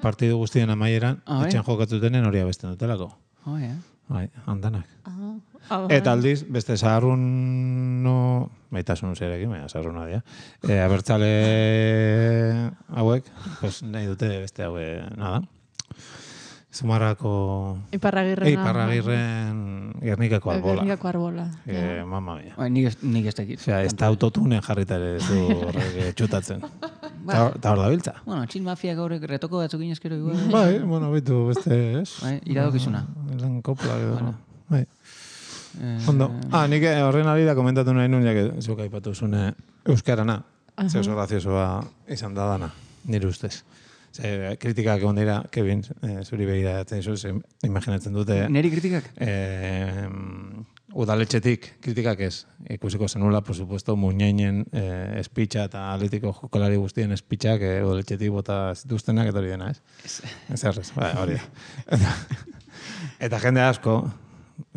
S4: Partidu guztien amaieran,
S3: Ah, bai.
S4: etxean jokatzutenen hori abesten dutelako.
S3: Oh, ja.
S4: Bai, handanak.
S5: Ah. Ah, bai.
S4: Eta aldiz, beste zaharrun no... Baitasun zerekin, baina zaharruna dira. E, abertzale hauek, pues, nahi dute beste haue, nada. Zumarrako...
S5: Iparragirrena.
S4: Iparragirren Gernikako arbola.
S5: Gernikako arbola.
S4: Eh, mamma mia.
S3: Bai, nik ez, nik ez dakit.
S4: Osea, ez da autotunen jarrita ere ez du horrek eh, txutatzen. Eta hor da biltza.
S3: Bueno, txin mafia gaur retoko batzuk inezkero igual.
S4: Bai, bueno, bitu beste, ez?
S3: Bai, iradokizuna.
S4: Lan kopla, edo.
S3: Bueno.
S4: Bai.
S3: Eh,
S4: Ondo. Ah, nik horren ari da komentatu nahi nuen, jak zuk aipatu zune euskarana. Ze oso graziosoa izan da dana, nire ustez. Ze, kritikak egon dira, Kevin, eh, zuri behira jatzen izu, ze imaginatzen dute...
S3: Neri kritikak?
S4: Eh, udaletxetik kritikak ez. Ikusiko zenula, por supuesto, muñeinen eh, espitxa eta atletiko jokolari guztien espitxak eh, udaletxetik bota zituztenak eta hori dena, ez? Ez errez, bai, hori da. Eta, eta jende asko,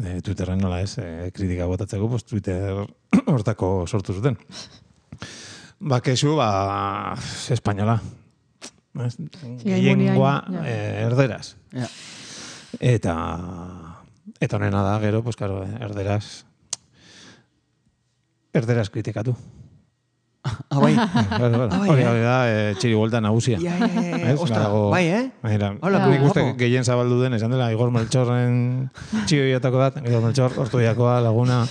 S4: eh, Twitterren nola ez, eh, kritika botatzeko, pues, Twitter hortako sortu zuten. Ba, kesu, ba, espainola. Gehiengoa eh, erderaz.
S3: Ja.
S4: Eta eta honena da, gero, pues, claro, erderaz erderaz kritikatu.
S3: Ah, bai.
S4: Hori da, eh, txiri buelta nagusia.
S3: Ja, ja, ja, ja. Ostra, bai, eh?
S4: Mira,
S3: Hola,
S4: nik uste
S3: guapo.
S4: gehien zabaldu den, esan dela, Igor Melchorren txioiatako dat, Igor Melchor, ortuiakoa, laguna,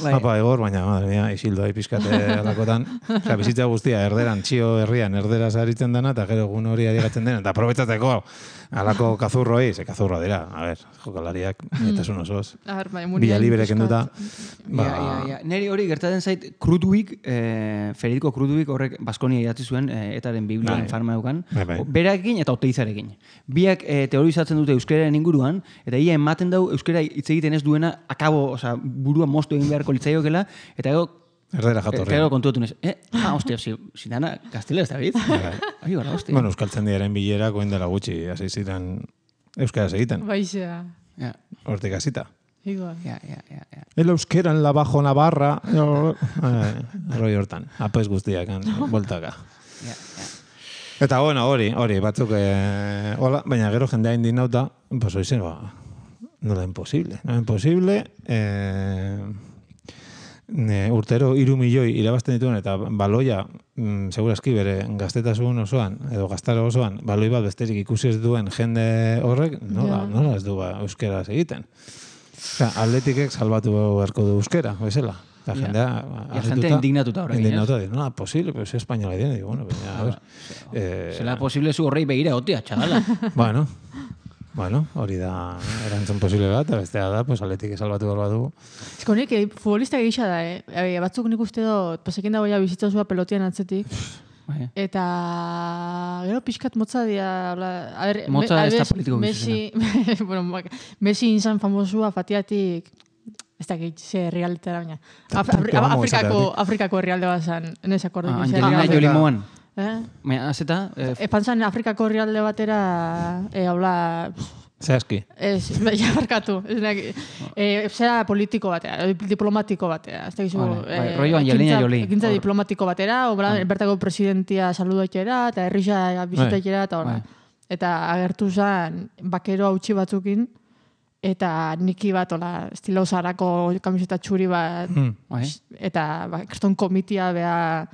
S3: Bai.
S4: apa Igor, baina, madre mia, isildo hai pizkate alakotan. Osea, bizitza guztia, erderan, txio herrian, erderaz aritzen dana, eta gero egun hori adigatzen dena, eta aprobetzatzeko, alako kazurroi, ze kazurroa dira, a ber, jokalariak, eta sun osoz.
S5: A ber, bai,
S4: Bila libre kenduta.
S3: Ba, ja, ja, ja. Neri hori gertatzen zait, Krudwig, eh, Federico Krudwig horrek Baskonia idatzi zuen, eh, etaren biblian
S4: Bai.
S3: farma eukan,
S4: Bai, bai.
S3: berarekin eta oteizarekin. Biak eh, teorizatzen dute euskararen inguruan, eta ia ematen dau euskara hitz egiten ez duena, akabo, osea, burua moztu egin beharko litzaiokela, eta gero
S4: Erdera
S3: Eta
S4: jatorria.
S3: gero kontuatu nez, eh, ah, ostia, si, si dana gaztelera ez da bit? Ai, bala, ostia.
S4: Bueno, euskaltzen diaren bilera, koen dela gutxi, hasi ziren euskaraz egiten,
S5: Baixea.
S3: Ja,
S4: hortik hasita.
S5: Igual.
S3: ja, ja, ja, ja.
S4: El euskera en la Bajo Navarra. Roi hortan, apes guztiak, voltaka.
S3: Ja, ja.
S4: Eta bueno, hori, hori, batzuk, eh, hola, baina gero jendea indinauta, pues hori zen, ba, nola imposible, nola imposible, eh, ne, urtero hiru milioi irabazten dituen, eta baloia, mm, segurazki bere gaztetasun osoan, edo gaztaro osoan, baloi bat besterik ikusi ez duen jende horrek, nola,
S5: Ja.
S4: nola ez du ba, euskeraz egiten. Osea, atletikek salbatu beharko du euskera, bezala. Eta
S3: Ja.
S4: jendea...
S3: Ja, jentea indignatuta horrekin, ez?
S4: Indignatuta, dice, no, posible, pero es española. Y digo, bueno, baina, a ver... eh,
S3: Zela posible zu horrei begira, otia, txagala.
S4: Bueno, bueno, hori da erantzun posible bat, eta bestea da, pues, atletik salbatu behar badu.
S5: Ez konik, eh, futbolista gisa da, eh? E, batzuk nik uste dut, pasekin dagoia bizitza zua pelotian atzetik.
S3: Bai.
S5: Eta gero pixkat motza dira, hola, a ber,
S3: Motza
S5: me-
S3: ez da
S5: adibidez,
S3: politiko
S5: Messi, bueno, mak- Messi izan famosua fatiatik, ez da gehit, ze herrialdetara baina. Af,
S4: Puntu
S5: Afri-
S4: amo
S5: Afrikako,
S4: esateagatik.
S5: Afrikako herrialde bat zan, nez akordu.
S3: Ah, Angelina Jolie moan.
S5: Eh?
S3: Baina, azeta, eh,
S5: Epan zan Afrikako herrialde batera, e, hola,
S4: Zehazki.
S5: ez, ja barkatu, ez nek, e, zera politiko batera, diplomatiko batera, ez da gizu,
S3: Vale, bai, rollo Angelina Jolie.
S5: ekintza
S3: Hor.
S5: diplomatiko batera, obra, bertako presidentia saludatxera, eta herrisa bizitatxera, eta hola.
S3: Bai.
S5: Eta agertu zen, bakero hautsi batzukin, eta niki bat, hola, estilo zarako kamiseta txuri bat,
S4: Hmm.
S3: bai.
S5: eta ba, kriston komitia beha,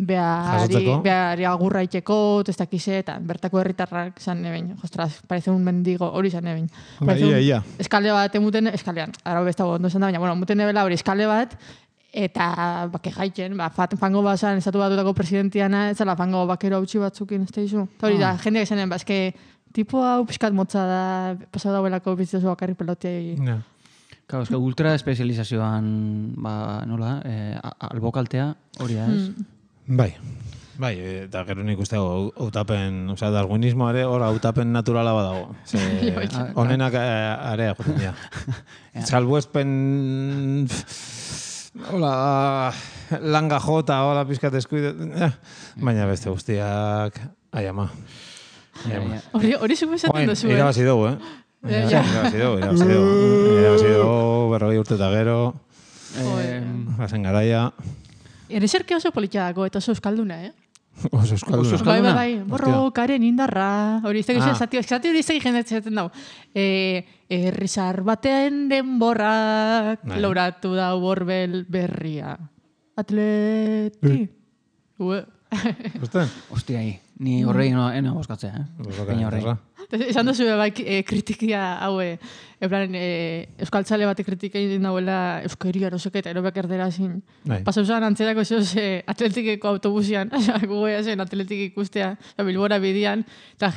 S5: behari,
S4: Jasotzeko.
S5: behari agurra itxeko, ez dakize, eta bertako herritarrak zan nebein. Ostras, parece un mendigo, hori zan nebein.
S4: Ba, ia, ia.
S5: Eskale bat emuten, eskalean, arau besta ondo esan da, baina, bueno, emuten ebela hori eskale bat, eta bake jaitzen, ba, fat, fango bazan, estatu batutako presidentiana, ez zela fango bakero hautsi batzukin, ez da izu. Eta hori da, jendeak esanen, ba, eske, tipo hau pixkat motza da, pasau dauelako bizitzazu bakarrik pelotei.
S4: Ja.
S3: Claro, eske ultra espezializazioan, ba, nola, eh, a- albokaltea hori da, ez?
S5: Mm.
S4: Bai. Bai, eta gero nik uste hautapen, osea, darwinismoa ere hor hautapen naturala badago. Honenak area joten dira. Salbuespen... Hola, langa jota, hola, pizkat eskuide... Baina beste guztiak... Ai, ama.
S5: Hori zuko esaten duzu, eh?
S4: Irabazi dugu, eh? Irabazi dugu, irabazi dugu. Irabazi dugu, berrogei urte eta gero. Bazen garaia.
S5: Ereserke oso politiadako eta oso euskalduna, eh?
S4: Oso euskalduna.
S5: Bai, bai, bai. Borro, karen indarra. Hori, ez da zati hori izan jendetzen dago. Errizar baten denborrak loratu da borbel berria. Atleti. Ue.
S4: Uste?
S3: Hostia, ni horrei eno boskatzea, eh?
S5: Esan duzu bai kritikia haue, ebran euskaltzale bate kritika egin dauela euskeri arosek eta erobek erdera zin. Pasa usan antzerako zeoz atletikeko autobusian, gugoia zen atletik ikustea, Bilbora bidian, eta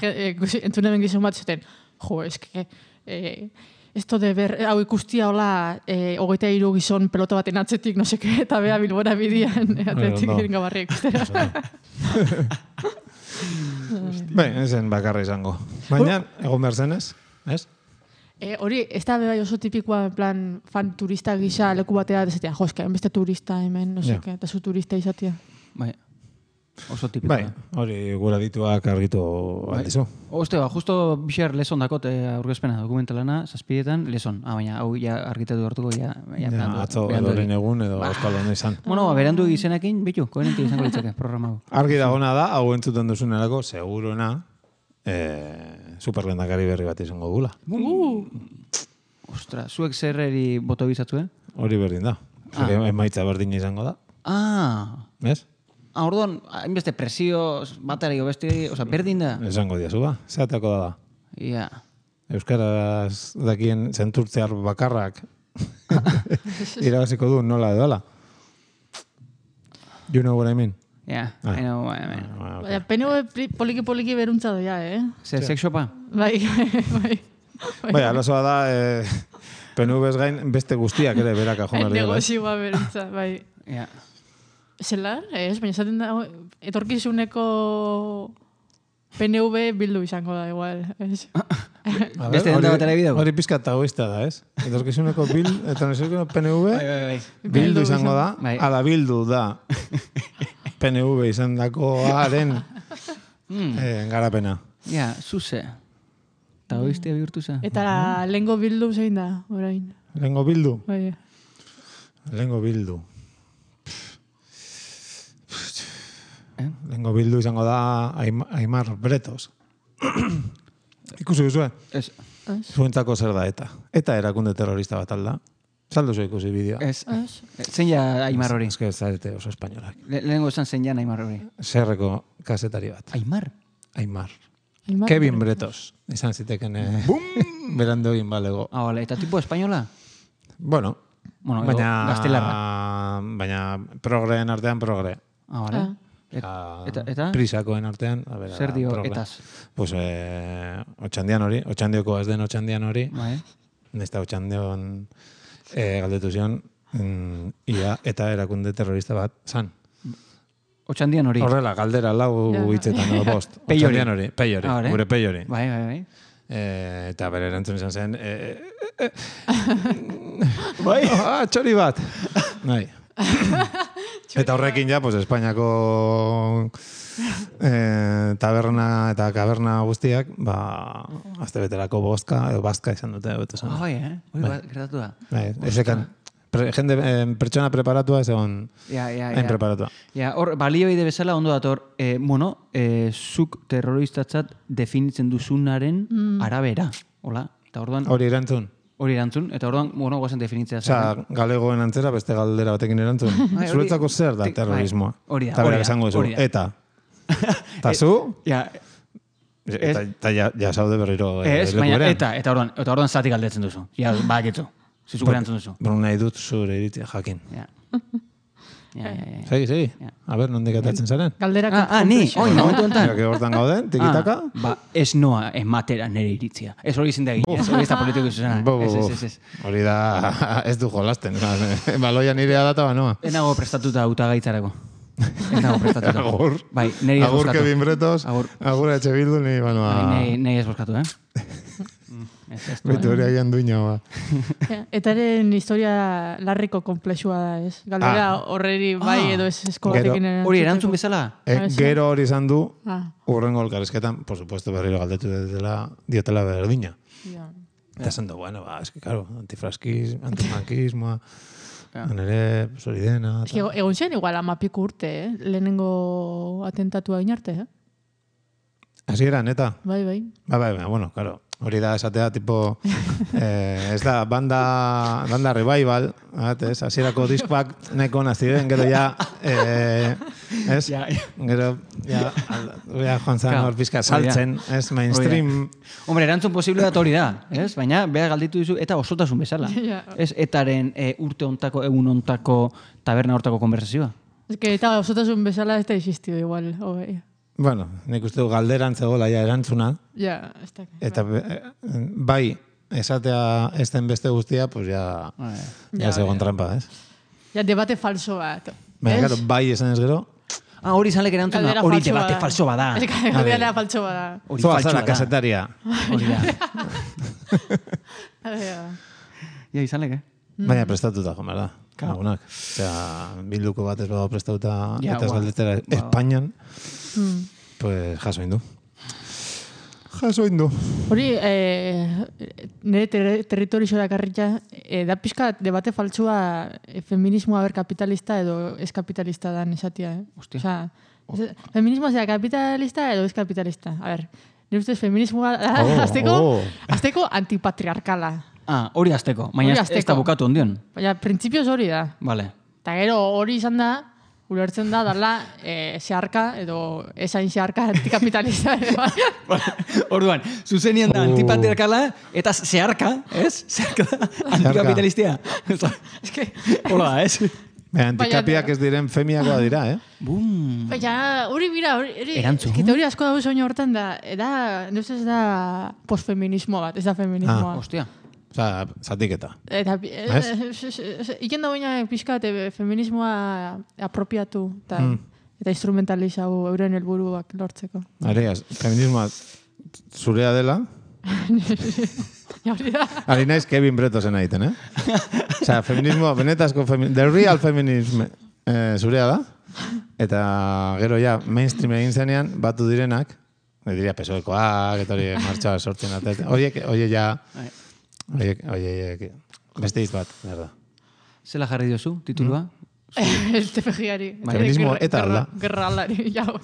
S5: entzunen gizon bat zuten, jo, eske, esto de ber, hau ikustia hola, hogeita hiru gizon pelota baten atzetik, no seke, eta bea Bilbora bidian atletik egin gabarri ikustera.
S4: Bai, ezen bakarra izango. Baina, egon behar zenez, ez?
S5: Hori, ez da bai oso tipikoa, en plan, fan turista gisa leku batea, dezatea, jo, eske, beste turista hemen, no seke, eta zu turista izatea.
S3: Bai, oso tipikoa.
S4: Bai, hori gura dituak argitu aldizu.
S3: Oste, ba, justo bixer lezon dakot aurkezpena dokumentalana, zazpidetan, lezon. Ah, baina, hau ja argitatu hartuko, ja...
S4: Ja, atzo, edoren egun, edo euskal honen izan.
S3: Bueno, berandu izenekin, bitu, koherenti izango litzake, programa hau.
S4: Argi dagona da, hau entzuten duzunerako, seguruena, superlendakari berri bat izango gula.
S3: Ostra, zuek zerreri boto bizatzuen?
S4: Hori berdin da. Emaitza berdin izango da.
S3: Ah!
S4: Ez?
S3: Ah, orduan, hainbeste presio batari beste, oza, berdin da?
S4: Esango diazu ba, zeateko da da.
S3: Ia.
S4: Euskaraz dakien zenturtzear bakarrak irabaziko du nola edola. You know what I mean?
S3: Yeah, I know what I mean.
S5: Baina, P N V poliki-poliki beruntza doia, eh?
S3: Zer, sexopa?
S5: Bai, bai.
S4: Bai, alazoa da, P N V ez gain beste guztiak ere beraka joan behar dira.
S5: Negozioa beruntza, bai.
S3: Ja.
S5: Zelan, ez, baina esaten da, etorkizuneko P N V bildu izango da, igual, ez?
S3: Beste denda batera bidago?
S4: Hori pizka tagoista da, ez? Etorkizuneko bil, etorkizuneko P N V bildu izango da, ala bildu da P N V izan dakoaren garapena.
S3: Ja, zuze. Tagoistea bihurtu za.
S5: Eta lehengo bildu zein da, orain?
S4: Lehengo bildu?
S5: Bai.
S4: Lehengo bildu. Lehengo bildu izango da Aimar Bretos. Ikusi duzue?
S3: Ez.
S4: Zuentzako zer da eta. Eta erakunde terrorista bat alda. Saldu zu ikusi bideoa.
S3: Ez. Zein ja Aimar hori?
S4: Ez que ez zarete oso espainolak.
S3: Lehengo esan zein ja Aimar hori?
S4: Zerreko kasetari bat.
S3: Aimar?
S4: Aimar. Kevin Bretos. Izan ziteken berando egin balego.
S3: Ah, vale. Eta tipo espainola?
S4: Bueno.
S3: Bueno,
S4: baina,
S3: gaztelarra.
S4: Baina progreen artean progre.
S3: Ah, vale. Et, eta, eta?
S4: Prisakoen artean. A ver,
S3: zer dio
S4: progre.
S3: etaz?
S4: Pues, eh, otxandian hori. Otxandioko ez den otxandian hori.
S3: Bai.
S4: Nesta otxandion eh, galdetu zion mm, ia eta erakunde terrorista bat zan.
S3: Otxandian hori.
S4: Horrela, galdera lau hitzetan, no, bost.
S3: Peiori.
S4: Otxandian hori, peiori,
S3: Ah,
S4: gure peiori.
S3: Bai, bai, bai.
S4: Eh, eta bere erantzun izan zen, eh, eh, eh, bai, ah, txori bat. Bai. Eta horrekin ja, pues, Espainiako eh, taberna eta kaberna guztiak, ba, azte beterako bostka, edo bazka izan dute. Beto
S3: Ah, bai, eh? Hori bat, gertatu da.
S4: Bai, ezekan, pre, jende, eh, pertsona preparatua ez egon,
S3: ja, ja,
S4: hain
S3: ja.
S4: preparatua.
S3: Ja, hor, balioide bezala ondo dator, eh, bueno, eh, zuk terroristatzat definitzen duzunaren mm. arabera. Hola, eta orduan...
S4: Hori erantzun.
S3: Hori erantzun, eta orduan, bueno, guazen definitzea.
S4: Osa, galegoen antzera beste galdera batekin erantzun. Zuretzako zer da terrorismoa?
S3: Hori da,
S4: eta
S3: hori
S4: berak
S3: da.
S4: esango zu, eta. Eta zu?
S3: Ja,
S4: eta, eta ja, ja saude berriro eh,
S3: ez,
S4: leku
S3: baina,
S4: berean.
S3: eta, eta orduan, eta orduan zati galdetzen duzu. Ja, bakitzu. Zizuk erantzun duzu.
S4: Bueno, nahi dut zure iritzia jakin.
S3: Ja. Ja, ja, ja.
S4: Segi, segi.
S3: Ja.
S4: A ber, nondik atatzen zaren?
S5: Galdera
S3: Ah, ah, ni, oi, momentu enten.
S4: Mira, que hortan gauden, tikitaka.
S3: Ah, ba, ez noa ematera nire iritzia. Ez hori izin da egin, ez hori ez da politiko izuzena.
S4: Bo, bo,
S3: Ez,
S4: bo.
S3: ez, ez, ez.
S4: Hori da, ez du jolasten. Baloia nirea data banoa.
S3: Enago prestatuta hautagaitzarako. Ez dago prestatuta.
S4: Agur.
S3: Bai, neri ez
S4: Agur
S3: bozkatu.
S4: Kevin Bretos,
S3: Agur.
S4: agur H. Bildu, ni, bueno,
S3: Bai, Nei ez bozkatu, eh? Ez, ez du,
S4: Baitu hori agian duina, ba.
S5: Etaren historia larriko komplexua da, ez? Galdera
S4: Ah.
S5: horreri bai
S3: Ah.
S5: edo ez eskolatekin
S4: Gero-
S3: Hori erantzun bezala?
S4: E,
S5: Ah, sí.
S4: gero hori izan du,
S5: Ah,
S4: urrengo elkarrizketan, por supuesto, berriro galdetu dela, diotela berdina.
S5: ja.
S4: Eta esan du, bueno, ba, eski, claro, antifraskis, antifrankismoa, nire, pues, hori dena.
S5: Ez que egon zen igual amapiko urte, eh? Lehenengo atentatua inarte, eh?
S4: Así era, neta.
S5: Bai, bai.
S4: Ba, bai, bai, bueno, claro. Hori da esatea, tipo, eh, ez da, banda, banda revival, bat, ez? Hasierako diskoak nahiko ona ziren, gero ja, eh, ez?
S3: Ja, ja.
S4: Gero, ja, al- ja joan zan
S3: Claro,
S4: hor pizka
S3: hori da.
S4: saltzen, ez? Mainstream,
S3: Hombre, erantzun posible da hori da, ez? Baina, beha galditu dizu, eta osotasun bezala.
S5: Ja.
S3: Ez etaren e, urte ontako, egun ontako, taberna hortako konversazioa.
S5: Ez que eta osotasun bezala ez da existio igual, hogei.
S4: bueno, nik uste du galderan zegoela ja erantzuna,
S5: Ja, ez da.
S4: eta eh, bai, esatea ez den beste guztia, pues ja,
S3: Bai.
S4: ja,
S5: Ja,
S4: segon
S5: ja.
S4: trampa, ez?
S5: Ja, debate falso bat.
S4: Baina,
S5: Ez?
S4: claro, bai esan ez gero,
S3: Ah, hori izan lek erantzuna,
S5: Galdera
S3: hori
S5: falso
S3: debate
S5: bada.
S3: falso bada.
S5: Ez que galdera falso bada.
S3: Hori
S4: zoa
S3: faltsua
S4: zara
S3: da.
S4: kasetaria.
S3: Hori da.
S5: Ja.
S3: Ja, izan lek, eh?
S4: Baina prestatuta, jo, da. Lagunak. Osea, bilduko bat ez badago prestatuta
S3: Ja,
S4: eta ez
S3: ba.
S4: galdetera
S3: Ba.
S4: Espainian,
S5: Mm.
S4: pues jaso indu. Jaso indu.
S5: Hori, eh, nire ter territorio dakarritza, eh, da pixka debate faltsua eh, feminismoa ber kapitalista edo ez kapitalista dan esatia, eh?
S3: Hostia.
S5: Osea, ez- feminismoa zera kapitalista edo ez kapitalista. A ber, nire ustez feminismoa da,
S4: Oh,
S5: azteko,
S4: oh.
S5: azteko antipatriarkala.
S3: Ah, hori azteko. Baina
S5: Hori
S3: ez- ez da
S5: hasteko.
S3: bukatu ondion.
S5: Baina, printzipioz hori da.
S3: Vale.
S5: Eta gero hori izan da, ulertzen da, dala, eh, zeharka, edo esain zeharka antikapitalista. ere bai.
S3: Orduan, zuzenian da
S4: Oh.
S3: antipatriarkala eta zeharka, ez? Zeharka da antikapitalistia.
S5: Ez que,
S3: Hola da, ez?
S4: Baina antikapiak
S5: Baina-
S4: ez diren femiakoa dira, eh?
S3: Bum.
S5: baina, hori bira, hori, hori,
S3: Erantzun.
S5: eske teoria asko dago soño hortan da, da, no ez da posfeminismo bat, ez da feminismoa.
S3: Hostia.
S4: Osea, zatiketa.
S5: Eta,
S4: Ez?
S5: iken da baina pixka te feminismoa apropiatu, eta,
S4: Mm.
S5: eta instrumentalizau euren helburuak lortzeko.
S4: Areaz, feminismoa zurea dela,
S5: Ja, hori da.
S4: ari naiz Kevin Bretosen egiten, eh? Osea, feminismo, benetazko feminismo, the real feminism eh, zurea da, eta gero ja, mainstream egin zenean, batu direnak, ne diria pesoekoak, eta hori martxoa sortzen atet, horiek, horiek ja, horiek, horiek, beste hitz bat, berda.
S3: Zela jarri diozu, titulua?
S5: El T F G-ari.
S4: Feminismo eta alda.
S5: Gerra aldari, jau.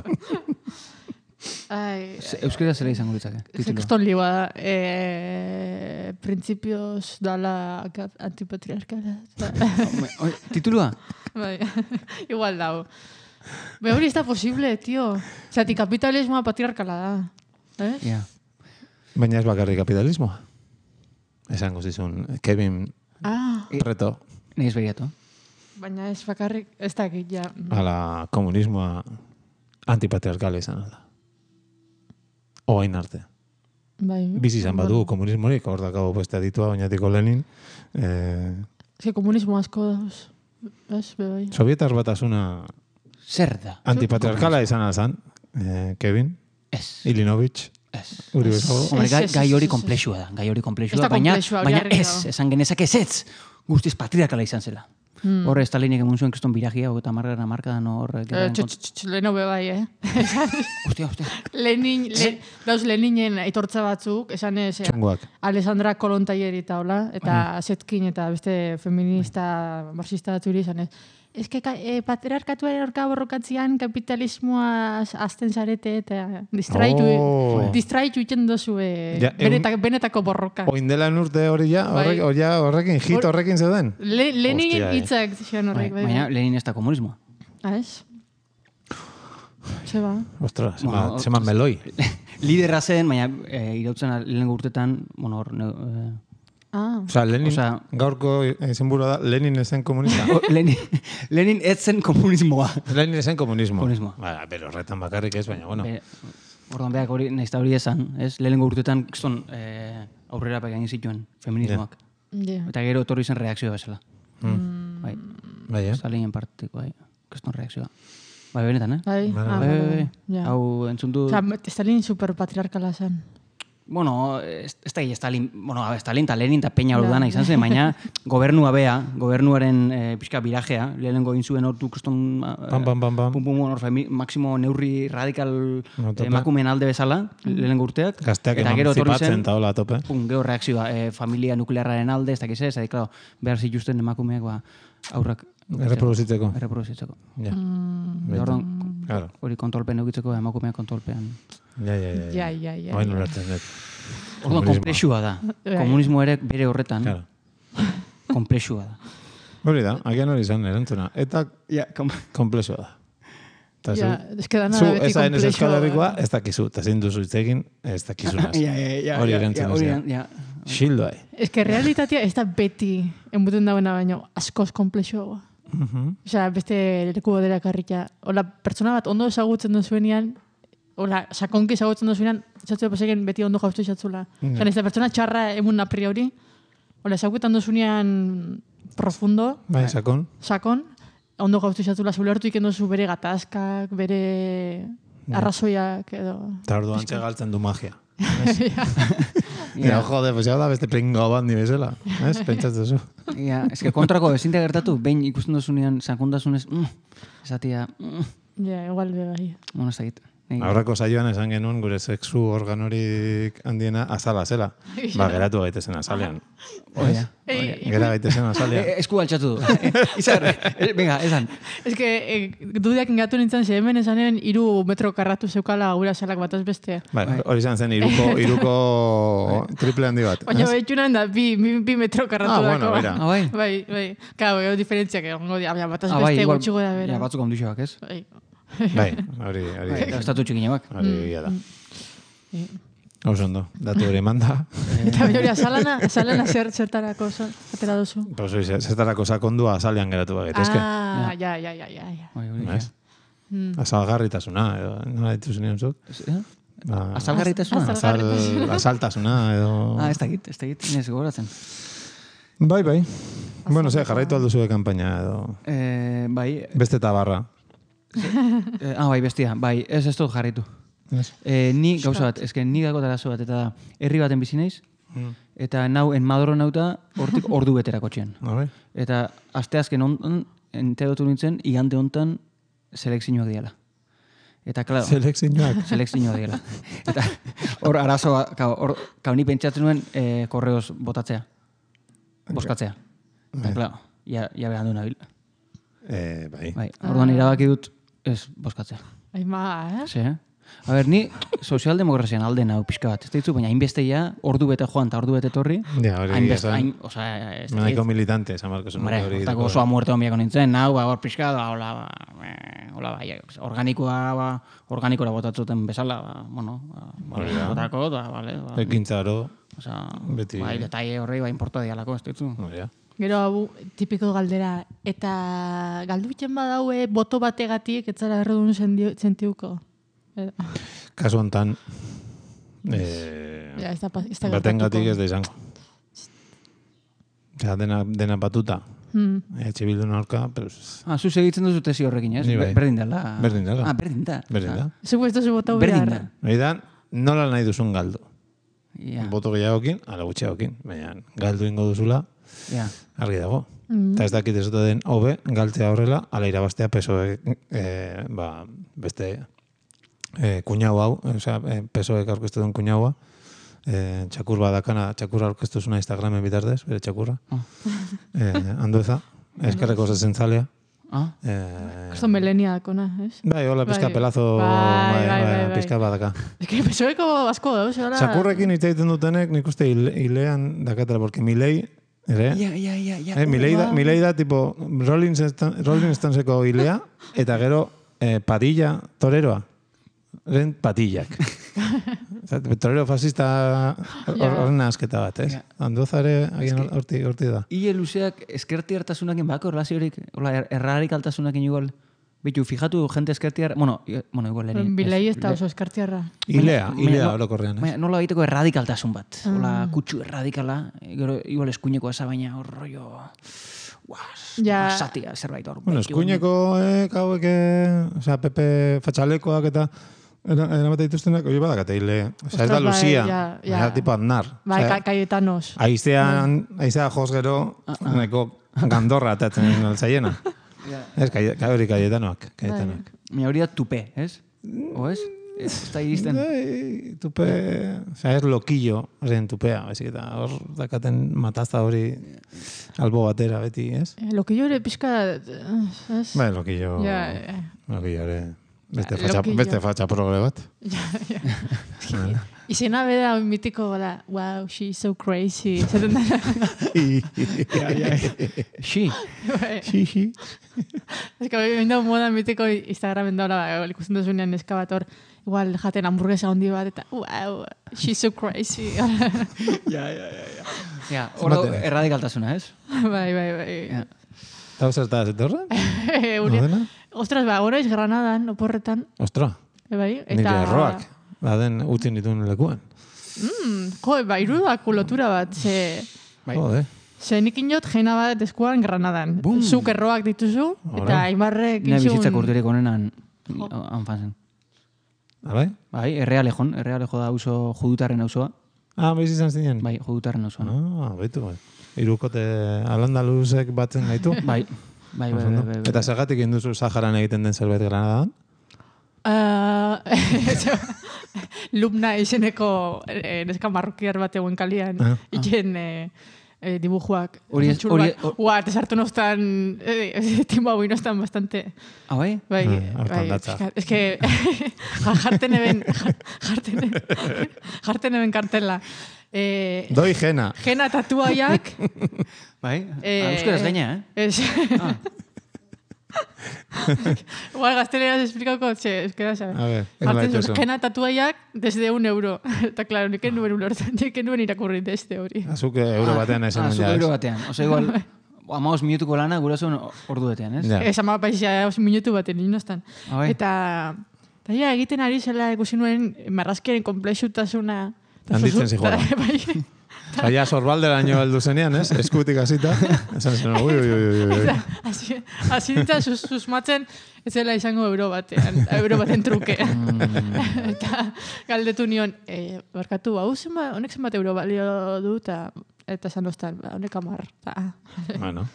S5: Ai,
S3: Ze- Euskera zela izango litzake, titulua.
S5: Keston liba da. Eh, principios dala ka- antipatriarkala.
S3: Home, oi, Titulua?
S5: Bai, igual dago. Be hori ez da posible, tio. Zati, kapitalismoa patriarkala da. Eh?
S3: Ja.
S4: Baina ez bakarrik kapitalismoa. Esango zizun, Kevin
S5: Ah,
S4: Preto,
S3: Nei ez begiatu.
S5: baina ez bakarrik, ez dakit, ja.
S4: ala komunismoa antipatriarkala izan da. Oain arte.
S5: Bai.
S4: Bizi izan badu komunismorik, hor dakago beste aditua, oinatiko Lenin. Eh,
S5: Ze komunismo asko dauz. Ez, be bai.
S4: Sovietar batasuna
S3: Zer da?
S4: antipatriarkala izan alzan, eh, Kevin,
S3: Ez.
S4: Ilinovich,
S3: Ez.
S4: Uri bezago.
S3: Hombre,
S5: Ez,
S3: gai,
S5: ez,
S3: gai
S5: ez,
S3: hori
S5: ez, ez.
S3: komplexua da, gai hori komplexua
S5: Ez da
S3: da, baina,
S5: konplexua, hori
S3: baina
S5: argi
S3: ez,
S5: dago.
S3: esan genezak ez ez, guztiz patriarkala izan zela.
S5: Hmm.
S3: Horre, Stalinek emun zuen kriston biragia, eta margarana markadan hor...
S5: Eh,
S3: gerraren
S5: tx,
S3: kont-
S5: tx, tx, leheno be bai, eh?
S3: Hostia, hostia.
S5: Lenin, le, dauz Leninen aitortza batzuk, esan ez, eh,
S4: Txungoak.
S5: Alessandra Kolontaier eta hola, eta Zetkin eta beste feminista, marxista batzuri izan ez. Ez que eh, patriarkatuaren orka borrokatzean kapitalismoa azten zarete eta distraitu,
S4: Oh.
S5: distraitu iten dozu eh,
S4: Ja, egun-
S5: benetako, benetako borroka.
S4: Oin dela urte hori ja,
S5: Bai.
S4: horrek, hori ja, horrekin, hit
S5: Hor-
S4: horrekin zeuden.
S5: Le, Leninen
S4: Hostia, eh.
S5: hitzak zian horrek, bai.
S3: Baina, Lenin ez da komunismoa.
S5: Ah, ez? Zeba.
S4: Ostras,
S3: Bueno,
S4: bueno, zema meloi.
S3: Liderra zen, baina e, irautzen lehenengo urtetan, bueno, hor... Ne, e,
S5: Ah.
S4: Osea, Lenin,
S3: Osea-
S4: gaurko izenburua da, Lenin ezen komunista.
S3: o, Lenin, Lenin ez zen komunismoa.
S4: Lenin ezen komunismo.
S3: Komunismoa.
S4: Ba, pero horretan bakarrik ez, baina, bueno.
S3: Be, orduan beak hori, nahiz hori esan, ez? Lehenengo urtetan, kiston, e, aurrera pegain zituen feminismoak.
S5: Yeah.
S3: Eta gero etorri zen reakzioa bezala.
S4: Mm.
S3: Bai,
S4: Bai, eh?
S3: Stalinen partiko, bai, kiston reakzioa. Bai, benetan, eh?
S5: Bai,
S4: Bai,
S5: ah,
S3: Bai,
S5: bai,
S3: bai,
S5: bai.
S3: bai.
S5: Ja.
S3: Hau entzuntu...
S5: Osa, Stalin superpatriarkala zen.
S3: Bueno, ez ez da Stalin, bueno, a ver, Stalin eta Lenin eta Peña ordana izan zen, baina gobernua bea, gobernuaren eh, pixka birajea, lehenengo egin zuen hortu kuston...
S4: Pam, pam, pam, pam.
S3: Pum, pum, hor, femi, maximo neurri radikal
S4: No, tope.
S3: emakumeen alde bezala, lehenengo urteak.
S4: Gazteak
S3: eta gero etorri
S4: emantzipatzen
S3: zen,
S4: eta hola tope.
S3: pum, gero reakzioa, eh, familia nuklearraren alde, ez dakiz ez, eta, claro, behar zituzten emakumeak, ba, aurrak...
S4: Erreproduzitzeko.
S3: Erreproduzitzeko.
S4: Ja.
S3: Eta orduan,
S4: Claro.
S3: hori kontrolpen eukitzeko, emakumeak kontrolpean.
S4: Ja, ja, ja.
S5: Ja, ja, ja.
S4: Oain
S5: ja.
S4: ulertzen dut.
S3: Orduan, komplexua da.
S5: Bai.
S3: Komunismo ere bere horretan,
S4: Claro.
S3: komplexua da.
S4: Hori da, agian hori izan erantzuna. Eta
S3: Ja, kom...
S4: komplexua da. Eta zu,
S5: Ja, ez que dana
S4: zu
S5: da beti
S4: ezaen ez
S5: komplexua.
S4: Euskal Herrikoa, ez dakizu. Eta zein duzu hitz egin, ez dakizunaz.
S3: Ja, ja, ja,
S4: Hori
S3: ja,
S4: erantzun
S3: ja, hori
S4: ezea.
S3: eran- ja.
S4: Xildo hai.
S5: Ez que realitatea ez da beti enbuten dagoena baino askoz komplexua. Osea, beste leku bodera karrika. Ola, pertsona bat ondo ezagutzen duzuenean, ola, sakonki ezagutzen duzuenean, txatzu paseken beti ondo jaustu izatzula. Osea, ez da pertsona txarra emun a priori, ola, ezagutzen duzuenean profundo,
S4: Bai, sakon.
S5: sakon, ondo gaustu izatzula, zule hartu iken duzu bere gatazkak, bere arrazoiak edo...
S4: Eta ordu antxe galtzen du magia. Ja, jode, pues ya da beste pringo bat ni bezala. Ez, pentsatzen zu.
S3: Ja, eske kontrako ezintea gertatu, behin ikusten duzunean sakontasunez, mm, esatia, mm,
S5: Ja, igual be bai.
S3: bueno, ez dakit. Nei-
S4: Aurreko saioan esan genuen gure sexu organorik handiena azala zela. Ba, geratu gaitezen azalean.
S3: Hori da.
S4: Gera gaitezen azalean.
S3: Eh, Esku altxatu du. Izar, eh, venga, esan.
S5: Ez que, eh, dudiak ingatu nintzen, ze hemen esanen iru metro karratu zeukala gura salak bataz beste.
S4: Bai, hori izan zen iruko, iruko triple handi bat.
S5: Baina
S4: ez?
S5: behitxunan da, bi, bi, bi metro karratu
S4: Ah,
S5: dako.
S4: bueno, mira.
S3: Ah, bai.
S5: Bai, bai. Kau, gero diferentziak egongo dira, baina bataz
S3: Ah, bai,
S5: beste
S3: igual,
S5: gutxi goda bera.
S3: ja, batzuk ondixoak, ez?
S5: Bai.
S4: Bai, hori, hori,
S3: Estatu txikineak.
S4: hori egia da. Oso ondo, datu hori manda.
S5: Eta baina hori, azalana, azalana zer, zertarako zo- atera duzu.
S4: Pues hori, zertarako sakondua azalean geratu bagitezke.
S5: Ah, ja, ja, ja, ja. ja.
S3: Bai, hori.
S4: Ez? Azalgarritasuna, edo, nola dituzu nion zuk?
S3: Eh?
S4: Ba,
S3: Azalgarritasuna?
S5: Azal-
S4: azal, azaltasuna, edo...
S3: Ah, ez dakit, ez dakit, inez gogoratzen.
S4: Bai, bai. Bueno, ze, jarraitu alduzu kampaina, edo...
S3: Eh, bai,
S4: Beste tabarra.
S3: eh, ah, bai, bestia, bai, ez ez dut jarritu.
S4: Ez?
S3: Eh, ni gauza bat, eske ni gako arazo bat, eta da, herri baten bizi naiz, eta nau, enmadoro nauta, hortik ordu beterako txean.
S4: Ah, bai?
S3: Eta asteazken ontan, enterotu nintzen, igande hontan selekzioak diala. Eta, klaro,
S4: Selekzioak.
S3: selekzioak diala. Eta hor arazoa, kao, hor, kao ni pentsatzen nuen eh, korreoz botatzea. Boskatzea. Eta, klaro, ja, ja behan du nabil.
S4: Eh, bai.
S3: Bai, orduan irabaki dut ez boskatzea.
S5: Aima, eh?
S3: Ze, eh? A ber, ni sozialdemokrazian alde nau pixka bat, ez ditzu, baina hainbeste ja, ordu bete joan eta ordu bete torri.
S4: Ja, hori
S3: hainbeste,
S4: esan-
S3: hain, oza, ez
S4: Nahiko militante, esan barko zuen.
S3: Hombre, hortako osoa muerte honbiako nintzen, nau, ba, hor pixka, da, hola, ba, eh, hola, ba, ja, organikoa, ba, organikora botatzuten bezala, ba, bueno, ba,
S4: Hori da.
S3: botako, da, vale, ba,
S4: Ekintzaro,
S3: oza,
S4: beti-
S3: bai, detaile horrei, ba, importa dialako, ez ditzu.
S4: hori da.
S5: Gero hau, tipiko galdera, eta galduitzen badaue boto bategatik, etzara erredun sentiuko. Eh,
S4: Kasu hontan, eh,
S5: Ja, ez da, pa- ez da
S4: batengatik
S5: gertatuko.
S4: ez da izango. Osea, dena, dena batuta.
S5: Hmm.
S4: Etxe bildu aurka, pero... ez-
S3: Ah, zu segitzen duzu tesi horrekin, ez?
S4: Ni bai.
S3: Berdin dela.
S4: Berdin dela.
S3: Ah, berdin da.
S4: Berdin da.
S5: Zugu ez duzu botau
S3: Berdin
S5: behar.
S3: da.
S4: Hori da, nola nahi duzun galdu.
S3: Ja,
S4: Boto gehiagokin, ala gutxiagokin. Baina, galdu ingo duzula,
S3: ja.
S4: argi dago.
S5: Mm.
S4: Eta ez dakit ez dute den hobe, galtzea horrela, ala irabaztea pesoek, eh, ba, beste eh, kuñau hau, osea, eh, pesoek aurkeztu duen kuñaua, eh, txakur badakana, txakurra aurkeztu zuna Instagramen bitartez, bere txakurra.
S3: Ah.
S4: Eh, andueza, eskerreko zezentzalea.
S3: Ah,
S4: Eh,
S5: Esto melenia dakona, ez?
S4: bai, hola, pizka
S5: Bai.
S4: pelazo,
S5: Bai, bai, bai, bai.
S4: pizka badaka.
S5: Ez que pesoeko asko dauz, hola.
S4: Txakurrekin hitz egiten dutenek, nik uste hile- hilean dakatela, porque Milei, ere,
S3: ja, ja, ja, ja.
S4: Eh, Milei da, Milei da tipo Rolling, Stan- Rolling Stoneseko hilea, eta gero eh, Padilla toreroa. Ren patillak. Osa, torero fascista horren asketa bat, ez?
S3: Ja.
S4: Andozare, agian horti, horti da.
S3: Ile luzeak eskerti hartasunakin bako relaziorik, hola, er, errarik altasunakin igual. Bitu, fijatu, jente eskerti har... Bueno, i- bueno, igual ere.
S5: Bilei ez da oso eskartiarra.
S4: Hilea,
S3: Baina-
S4: hilea
S3: baina-
S4: orokorrean, ez?
S3: Baina nola egiteko erradikaltasun bat. Hola, kutsu erradikala, gero igual eskuineko eza, baina hor rollo...
S5: Ja.
S3: basatia, zerbait hor.
S4: Bueno, eskuineko, eh, hauek, eh, o sea, Pepe Fatxalekoak eta eramate dituztenak, hori badakate hile. O sea, ez da
S5: Ostras, bai,
S4: Lucia,
S5: ja, ja.
S4: ja, tipo Aznar.
S5: Bai,
S4: O sea,
S5: Ca- Cayetanos.
S4: Aizean, aizea jos gero, neko gandorra atatzen altzaiena. Ez, kai- kai- hori Cayetanoak, Cayetanoak.
S3: Mi hori da tupe, ez? O ez? Ez da iristen.
S4: Bai, tupe, o sea, ez lokillo, horren tupea, baizik eta hor dakaten matazta hori albo batera beti, ez?
S5: Eh, Lokillo ere pixka... eh, ez?
S4: Bai, lokillo,
S5: Ja, ja.
S4: lokillo ere, beste
S5: Ja,
S4: fatxa,
S5: lokillo.
S4: beste fatxa progre bat.
S5: Ja, ja. Izena bera mitiko da, wow, she's so crazy. Zaten da.
S3: Xi.
S5: Bai.
S4: Xixi.
S5: Ez que hori da moda mitiko Instagramen daura, ba, ikusten duzunean neska bat hor, igual jaten hamburguesa handi bat, eta wow, she's so crazy.
S3: Ja, hor dago erradikaltasuna, ez?
S5: Bai, bai, bai.
S3: Ja.
S4: Eta zerta zetorra?
S5: Uri-
S4: Nodena?
S5: Ostras, ba, gora iz Granadan, oporretan,
S4: Ostra,
S5: e, bai,
S4: nire
S5: eta...
S4: erroak. Baden utzin dituen lekuan.
S5: Mm, jo, ba, irudako lotura bat, ze...
S3: Bai.
S4: Jode.
S5: Ze nik inot jena bat eskuan Granadan.
S3: Bum.
S5: Zuk erroak dituzu, eta
S4: Ora.
S5: Aimarrek
S3: Nire
S5: izun...
S3: bizitzak urterik onenan anfazen.
S4: Abai?
S3: Bai, errealejon, errealejo da auzo judutarren auzoa.
S4: Ah, baiz izan zinen?
S3: Bai, judutarren auzoa.
S4: Ah, baitu, bai. Irukote alandaluzek batzen gaitu.
S3: Bai, bai, bai, bai, bai, bai.
S4: Eta zergatik induzu Saharan egiten den zerbait Granadan?
S5: Uh, Lubna izeneko eh, neska marrokiar bat egon kalian,
S4: Ah.
S5: iken eh, eh, dibujuak.
S3: Hori ez-
S5: Txur
S3: hori-
S5: bat. Ua, te sartu nostan, eh, timba hoi nostan bastante.
S3: Ah, bai?
S5: Bai,
S4: Ah, hortan
S5: bai,
S4: datza.
S5: pixkat. Es que jarten eben, jarten eben, jarten eben kartela. Eh,
S4: Doi jena.
S5: Jena tatuaiak,
S3: Bai?
S5: Eh,
S3: Ah, euskaraz gaina, eh?
S5: es... Igual gazteleraz esplikauko, txe, euskera sabe.
S4: A ver,
S5: Jartzen
S4: nola
S5: zuen,
S4: dituzu?
S5: jena tatuaiak desde un euro. Eta, claro, nik nuen ulertzen, nik nuen irakurri desde hori.
S4: Azuk euro batean esan
S3: Ah,
S4: nuen
S3: zuk
S4: ja,
S3: euro
S4: ez?
S3: batean. Osa, igual, amaos minutuko lana gurasoen ordu betean, ez?
S4: Ja.
S5: Esan ma paisa os minutu baten inostan.
S3: Ah, bai.
S5: Eta, eta ja, egiten ari zela ikusi nuen marrazkiaren komplexutasuna. Eta
S4: Handitzen
S5: zozu-
S4: zijoala.
S5: eta, bai,
S4: Baina sorbalderaino heldu zenean, ez? Eskutik hasita. Esan zen, ui, ui, ui, ui, ui.
S5: hasi hasi nintzen sus, susmatzen, ez zela izango euro batean, euro baten truke. Eta galdetu nion, e, barkatu, hau zenbat, honek zenbat euro balio du, eta eta esan ostan, ba, honek amar. Ta,
S4: Bueno.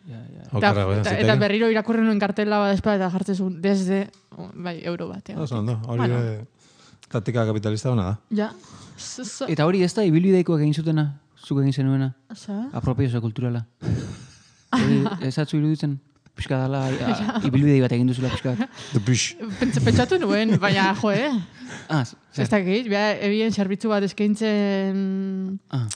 S3: Ja, ja.
S5: eta,
S4: Okerra, bai,
S5: eta,
S4: ziteke.
S5: eta berriro irakurri nuen kartela bat espada eta jartzen zuen, desde, bai, euro batean.
S4: Oso ondo, hori
S5: Bueno.
S4: bueno. Taktika kapitalista hona da.
S5: Ja, z- z-
S3: Eta hori ez da ibilbideikoak egin zutena, zuk egin zenuena,
S5: Osa?
S3: apropiazioa kulturala. Hori ez atzu iruditzen, pixka dala, a- ibilbidei bat egin duzula pixka bat.
S4: The Bush.
S5: Pentsa- Pentsatu nuen, baina, jo, eh?
S3: Ah, zer?
S5: Ez dakit, beha, ebien zerbitzu bat eskaintzen
S3: Ah,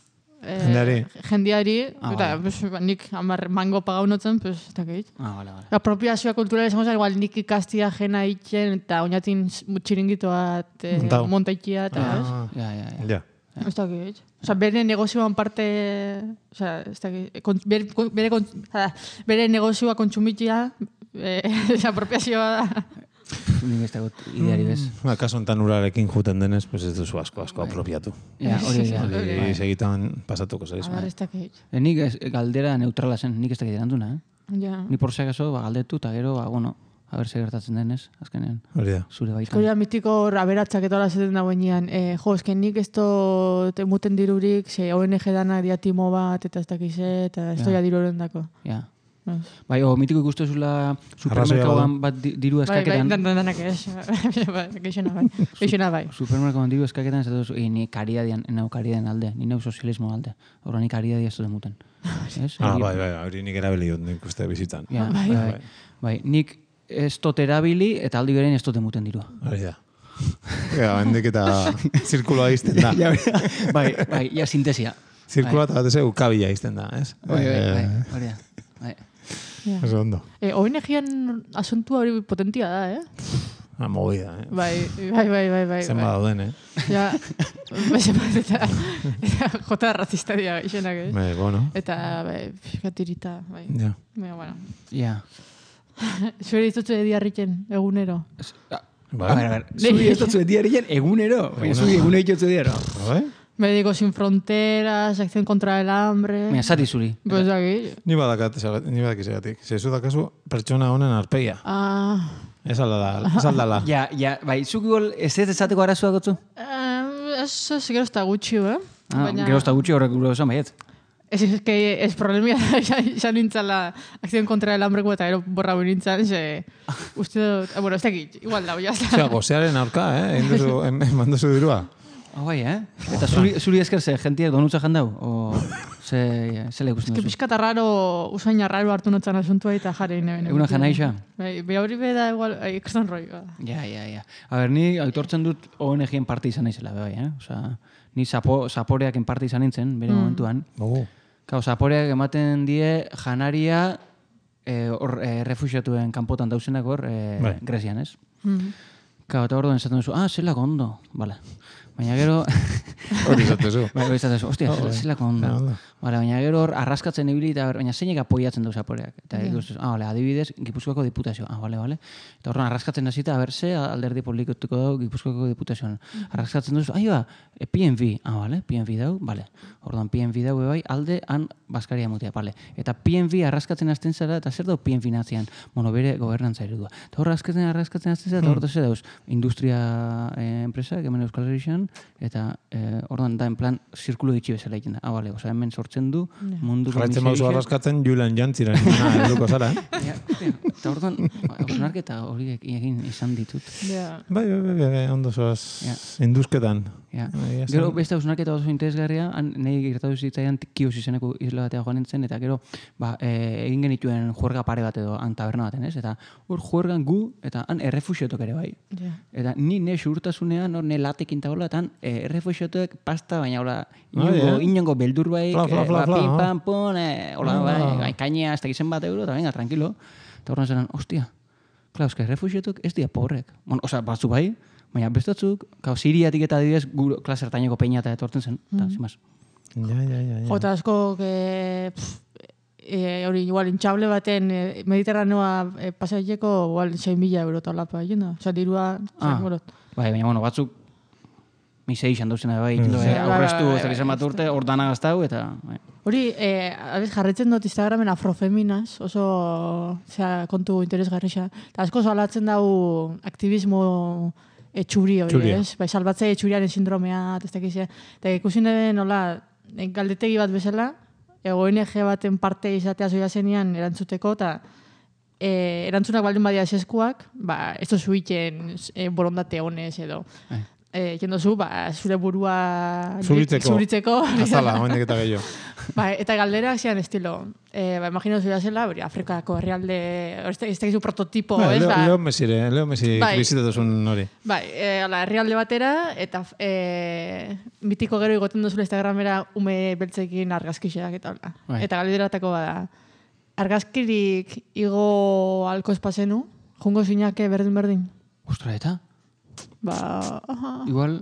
S5: eh,
S4: Jendeari.
S5: jendeari,
S3: Ah,
S5: eta
S3: vale.
S5: pues, ba, nik hamar mango pagaunotzen, pues, ez dakit.
S3: ah, bale, bale.
S5: Apropiazioa kulturala esango zen, igual nik ikastia jena itxen, eta oinatin txiringito bat eh,
S4: Montau.
S5: montaikia, eta ez.
S4: Ah,
S3: Ja, ja, ja.
S4: ja.
S5: Ez dakit. Osa, bere negozioan parte, osa, ez dakit, kon, bere, kon- bere, kon, ah, bere negozioa kontsumitia, eh, apropiazioa da.
S3: Nik ez dagot ideari bez.
S4: Ba, kaso enten urarekin juten denez, pues ez duzu asko, asko apropiatu.
S3: Ja, hori da.
S4: Hori segitan pasatuko zaiz.
S5: A ber, ez dakit.
S3: E, nik ez, galdera neutrala zen, nik ez dakit erantzuna, eh?
S5: Ja.
S3: Ni por si acaso, ba, galdetu, eta gero, ba, bueno, a ber, zer gertatzen denez, azkenean,
S4: Hori da.
S3: zure baitan.
S5: Hori da mitiko hor aberatzak eta hola zaten dagoenean. Eh, jo, esken nik ez dut emuten dirurik, ze O N G danak diatimo bat, eta ez dakize, eta ez
S3: Ja.
S5: doia diru horrendako.
S3: Ja.
S5: Ez.
S3: Bai, o, mitiko ikustezula supermerkauan bat di- diru
S5: Bai, bai,
S3: eskaketan,
S5: dan, dan, danak ez. Bai, Geixena bai. Geixena bai.
S3: supermerkauan diru eskaketan, ez dut, e, ni karidadian, nau karidadian alde, ni nau sozialismo alde. Horra ni karidadia ez dut emuten. Ez?
S4: Ah,
S3: Hori-
S4: bai, bai, hori nik erabili dut nik uste bizitan.
S3: Ja,
S5: Bai.
S3: bai, bai. Bai, nik ez dut erabili eta aldi berein ez dut emuten dirua.
S4: Hori da. Ja, hendik eta zirkuloa izten da.
S3: Ja, bai, bai, ja, sintesia.
S4: Zirkuloa eta bat ez ukabila izten da, ez?
S3: Bai, bai, bai,
S4: Eh,
S3: hori da. Bai.
S5: Ja.
S4: Oso ondo.
S5: Eh, O N G-an asuntua hori potentia da, eh?
S4: Ah, movida, eh?
S5: Bai, bai, bai, bai, bai.
S4: Zenba
S5: bai.
S4: dauden, eh?
S5: Ja, bai, zenbat eta, eta jota razista dira geixenak, eh?
S4: Bai, bueno.
S5: Eta, bai, fiskatirita, bai.
S4: Ja.
S5: Baina, bueno.
S3: Ja.
S5: Zure ditutze diarriken, egunero.
S3: Ez- a-
S4: Bai.
S3: A ver, a ver, zuri ez dut diarien egunero. Baina zuri egunero ditutzu diaro.
S4: Bai?
S5: Médicos sin fronteras, acción contra el hambre...
S3: Baina, zati zuri.
S5: Pues aquí...
S4: Ni badakat, ni badakizegatik. Zezu dakazu pertsona honen arpeia.
S5: Ah...
S4: Ez aldala. Ez aldala.
S3: Ja, ja, bai, zuk igual ez ez ezateko arazoa gotzu?
S5: Eh, ez, ez, gero ez da gutxi, eh?
S3: Ah, gero ez da gutxi horrek gure esan baiet.
S5: Ez, ez, que ez problemia da, ja nintzala acción contra el hambreko eta gero borra hori nintzen, ze... Uste dut... Eh, bueno, ez dakit, igual da, ya está.
S4: Osea, gozearen aurka, eh? Egin duzu, eman duzu dirua.
S3: Ah, bai, eh? Eta zuri, zuri esker ze, jentiak donutza jandau? O ze, ze lekusten
S5: Ez que
S3: duzu?
S5: pixkata raro, usaina raro hartu notzan asuntua eta jarri neben.
S3: Eguna jana isa?
S5: Bai, bai hori beda igual, ikastan roi.
S3: Ja, ja, ja. A ber, ni aitortzen dut O N G-en parte izan naizela, bai, eh? Osa, ni zapo, zaporeaken parte izan nintzen, bere momentuan.
S4: Oh.
S3: Kau, zaporeak ematen die janaria eh, hor eh, refuxiatuen kanpotan dauzenak hor, eh,
S4: Bai.
S3: Grezian, ez?
S5: Mm.
S3: Kau, eta hor duen esaten duzu, ah, zelako ondo, bale. Baina gero...
S4: Hori zatezu.
S3: Bai, hori zatezu, ostia,
S4: Oh, bai.
S3: zelako ondo.
S4: Ja, ondo.
S3: Bale, baina gero hor arraskatzen ibili eta ber- baina zeinek apoiatzen du zaporeak. Eta
S5: Ja.
S3: ikusten, ah, bale, adibidez, Gipuzkoako diputazio. Ah, bale, bale. Eta horren arraskatzen hasita, a ber, ze alderdi politikotuko dau Gipuzkoako diputazioan. Arraskatzen duzu, ahi ba, e, P N V. Ah, bale, P N V dau, bale. Orduan P N V dau bai, alde han Baskaria mutea, bale. Eta P N V arraskatzen hasten zara, eta zer dau P N V natzean? Bueno, bere gobernantza eredua. Eta hor arraskatzen, arraskatzen hasten zara, eta hor ze dauz, industria eh, enpresa, hemen Euskal Herrixan, eta eh, orduan da, en plan, zirkulo ditxi bezala egiten da. Ah, bale, oza, hemen sortzen du, munduko
S4: Jarraitzen bauzu
S3: miseriak-
S4: arraskatzen Julian Jantziren nina helduko zara, eh?
S3: Ja, hostia, eta orduan, hausnarketa horiek egin izan ditut.
S5: Ja.
S4: Bai, bai, bai, bai, ondo zoaz
S3: Ja.
S4: induzketan.
S3: Ja.
S4: Bai, esan-
S3: Gero beste hausnarketa oso interesgarria, han nahi gertatu zitzaidan Kios izeneko isla batea joan nintzen, eta gero ba, e, egin genituen juerga pare bat edo han taberna baten, ez? Eta hor juergan gu, eta han errefuxiotok ere bai.
S5: Ja.
S3: Eta ni ne xurtasunean, hor ne latekin eta hola, eta han e, errefuxiotok pasta, baina hola,
S4: Ah,
S3: inongo,
S4: ja.
S3: inongo beldur bai,
S4: Fla, fla, fla,
S3: ba,
S4: fla,
S3: pim,
S4: ah.
S3: pam, pon, e, hola,
S4: Ah.
S3: bai, kainea, ez dakizen bat euro, eta venga, tranquilo. Eta horren zelan, ostia, klar, eske errefuxiotok ez dira pobrek. Bueno, osea, batzu bai, baina bestatzuk, kau, Siriatik eta adibidez, gure klasertaineko peina eta etortzen zen, eta, mm. zimaz.
S4: Ja, ja, ja, ja.
S5: Jota asko, que, pff, e, hori igual intxable baten e, mediterraneoa e, pasaileko igual sei mila euro talapa egin da. Osa, dirua...
S3: Ah.
S5: bueno,
S3: Bai, baina, bueno, batzuk misei izan duzena bai,
S4: Mm.
S3: mm.
S5: Bai, bai,
S3: aurreztu,
S5: bai,
S3: ez dakizen
S5: bai,
S3: bat urte, hor dana gaztau, eta... Bai.
S5: hori, e, abez, jarretzen dut Instagramen afrofeminas, oso zera, kontu interesgarrixa. Eta asko salatzen dau aktivismo etxuri hori,
S4: Txuria.
S5: ez? Bai, salbatze etxuriaren sindromea, eta ez dakizia. Eta ikusi nire nola, e, galdetegi bat bezala, e, O N G baten parte izatea zoia zenian erantzuteko, eta e, erantzunak baldin badia eskuak, ba, ez duzu iten e, borondate honez edo.
S3: Bai.
S5: E, jendozu, ba, zure burua
S4: Zuritzeko.
S5: zuritzeko.
S4: Azala, hoendik eta gehiago.
S5: Ba, eta galderak zian estilo. Eh, ba, imagino zuia zela, hori, Afrikako herrialde, ez da- ez dakizu prototipo,
S4: Bai,
S5: ez?
S4: Leo,
S5: Ba,
S4: Leo Mesire, Leo Messi
S5: Bai.
S4: bizitatuzun hori.
S5: bai, eh, hola, herrialde batera, eta eh, mitiko gero igoten duzula Instagramera ume beltzekin argazkixeak eta hola.
S3: Bai.
S5: Eta galderatako bada, argazkirik igo alko espazenu, jungo zinake berdin-berdin?
S3: Ostra, eta?
S5: Ba, aha.
S3: Igual,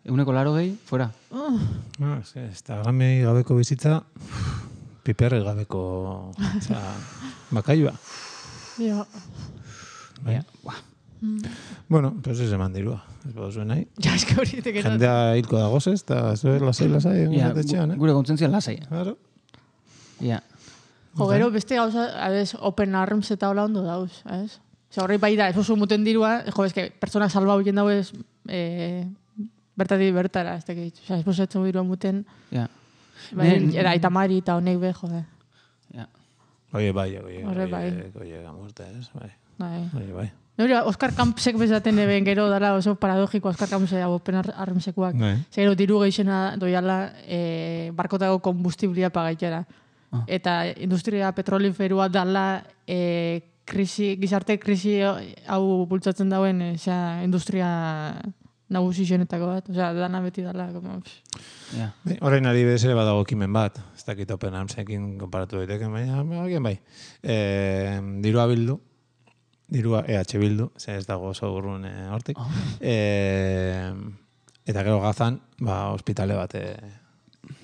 S3: eguneko laro gehi, fuera.
S4: Ah, ez, Instagrami gabeko bizitza, piperri gabeko, oza, bakailua.
S5: Ja.
S3: Baina, buah.
S4: Bueno, pues ez eman dirua, ez baduzuen nahi.
S5: Ja, eske hori tekena.
S4: Jendea hilko da gozez, eta zue lasai, lasai, egon
S3: Ja,
S4: zatetxean, eh?
S3: gure kontzientzia lasai.
S4: Claro.
S3: Ja.
S5: Jo, gero beste gauza, adez, open arms eta hola ondo dauz, ez? Osa, horrei bai da, ez oso muten dirua, jo, ez que pertsonak salba hoien dago ez, e, bertatik bertara, ez dakit. Osa, ez posetzen dirua muten,
S3: Ja.
S5: bai,
S3: Ne-
S5: era Aitamari eta honek be, jode.
S3: Ja.
S4: Oie, bai, oie,
S5: Horre, bai.
S4: oie, oie, gamurte, ez, bai.
S5: Bai.
S4: Oie, bai.
S5: Hori, Oskar Kampsek bezaten eben gero dara oso paradogiko Oskar Kampsek open ar armsekuak.
S4: Bai.
S5: Zer gero diru geixena doiala e, barkotako kombustiblia pagaitera.
S3: Ah.
S5: Eta industria petroliferua dala e, krisi, gizarte krisi hau bultzatzen dauen e, zera, industria nagusi zenetako bat. Osea, dana beti dala. Como, pff.
S3: Ja.
S4: Bai, orain ari bezere badago kimen bat, ez dakit open armsekin konparatu daiteke, baina alguien bai. E, dirua bildu, dirua E H bildu, ze ez dago oso urrun e, hortik.
S3: Oh.
S4: E, eta gero gazan, ba, ospitale bat e,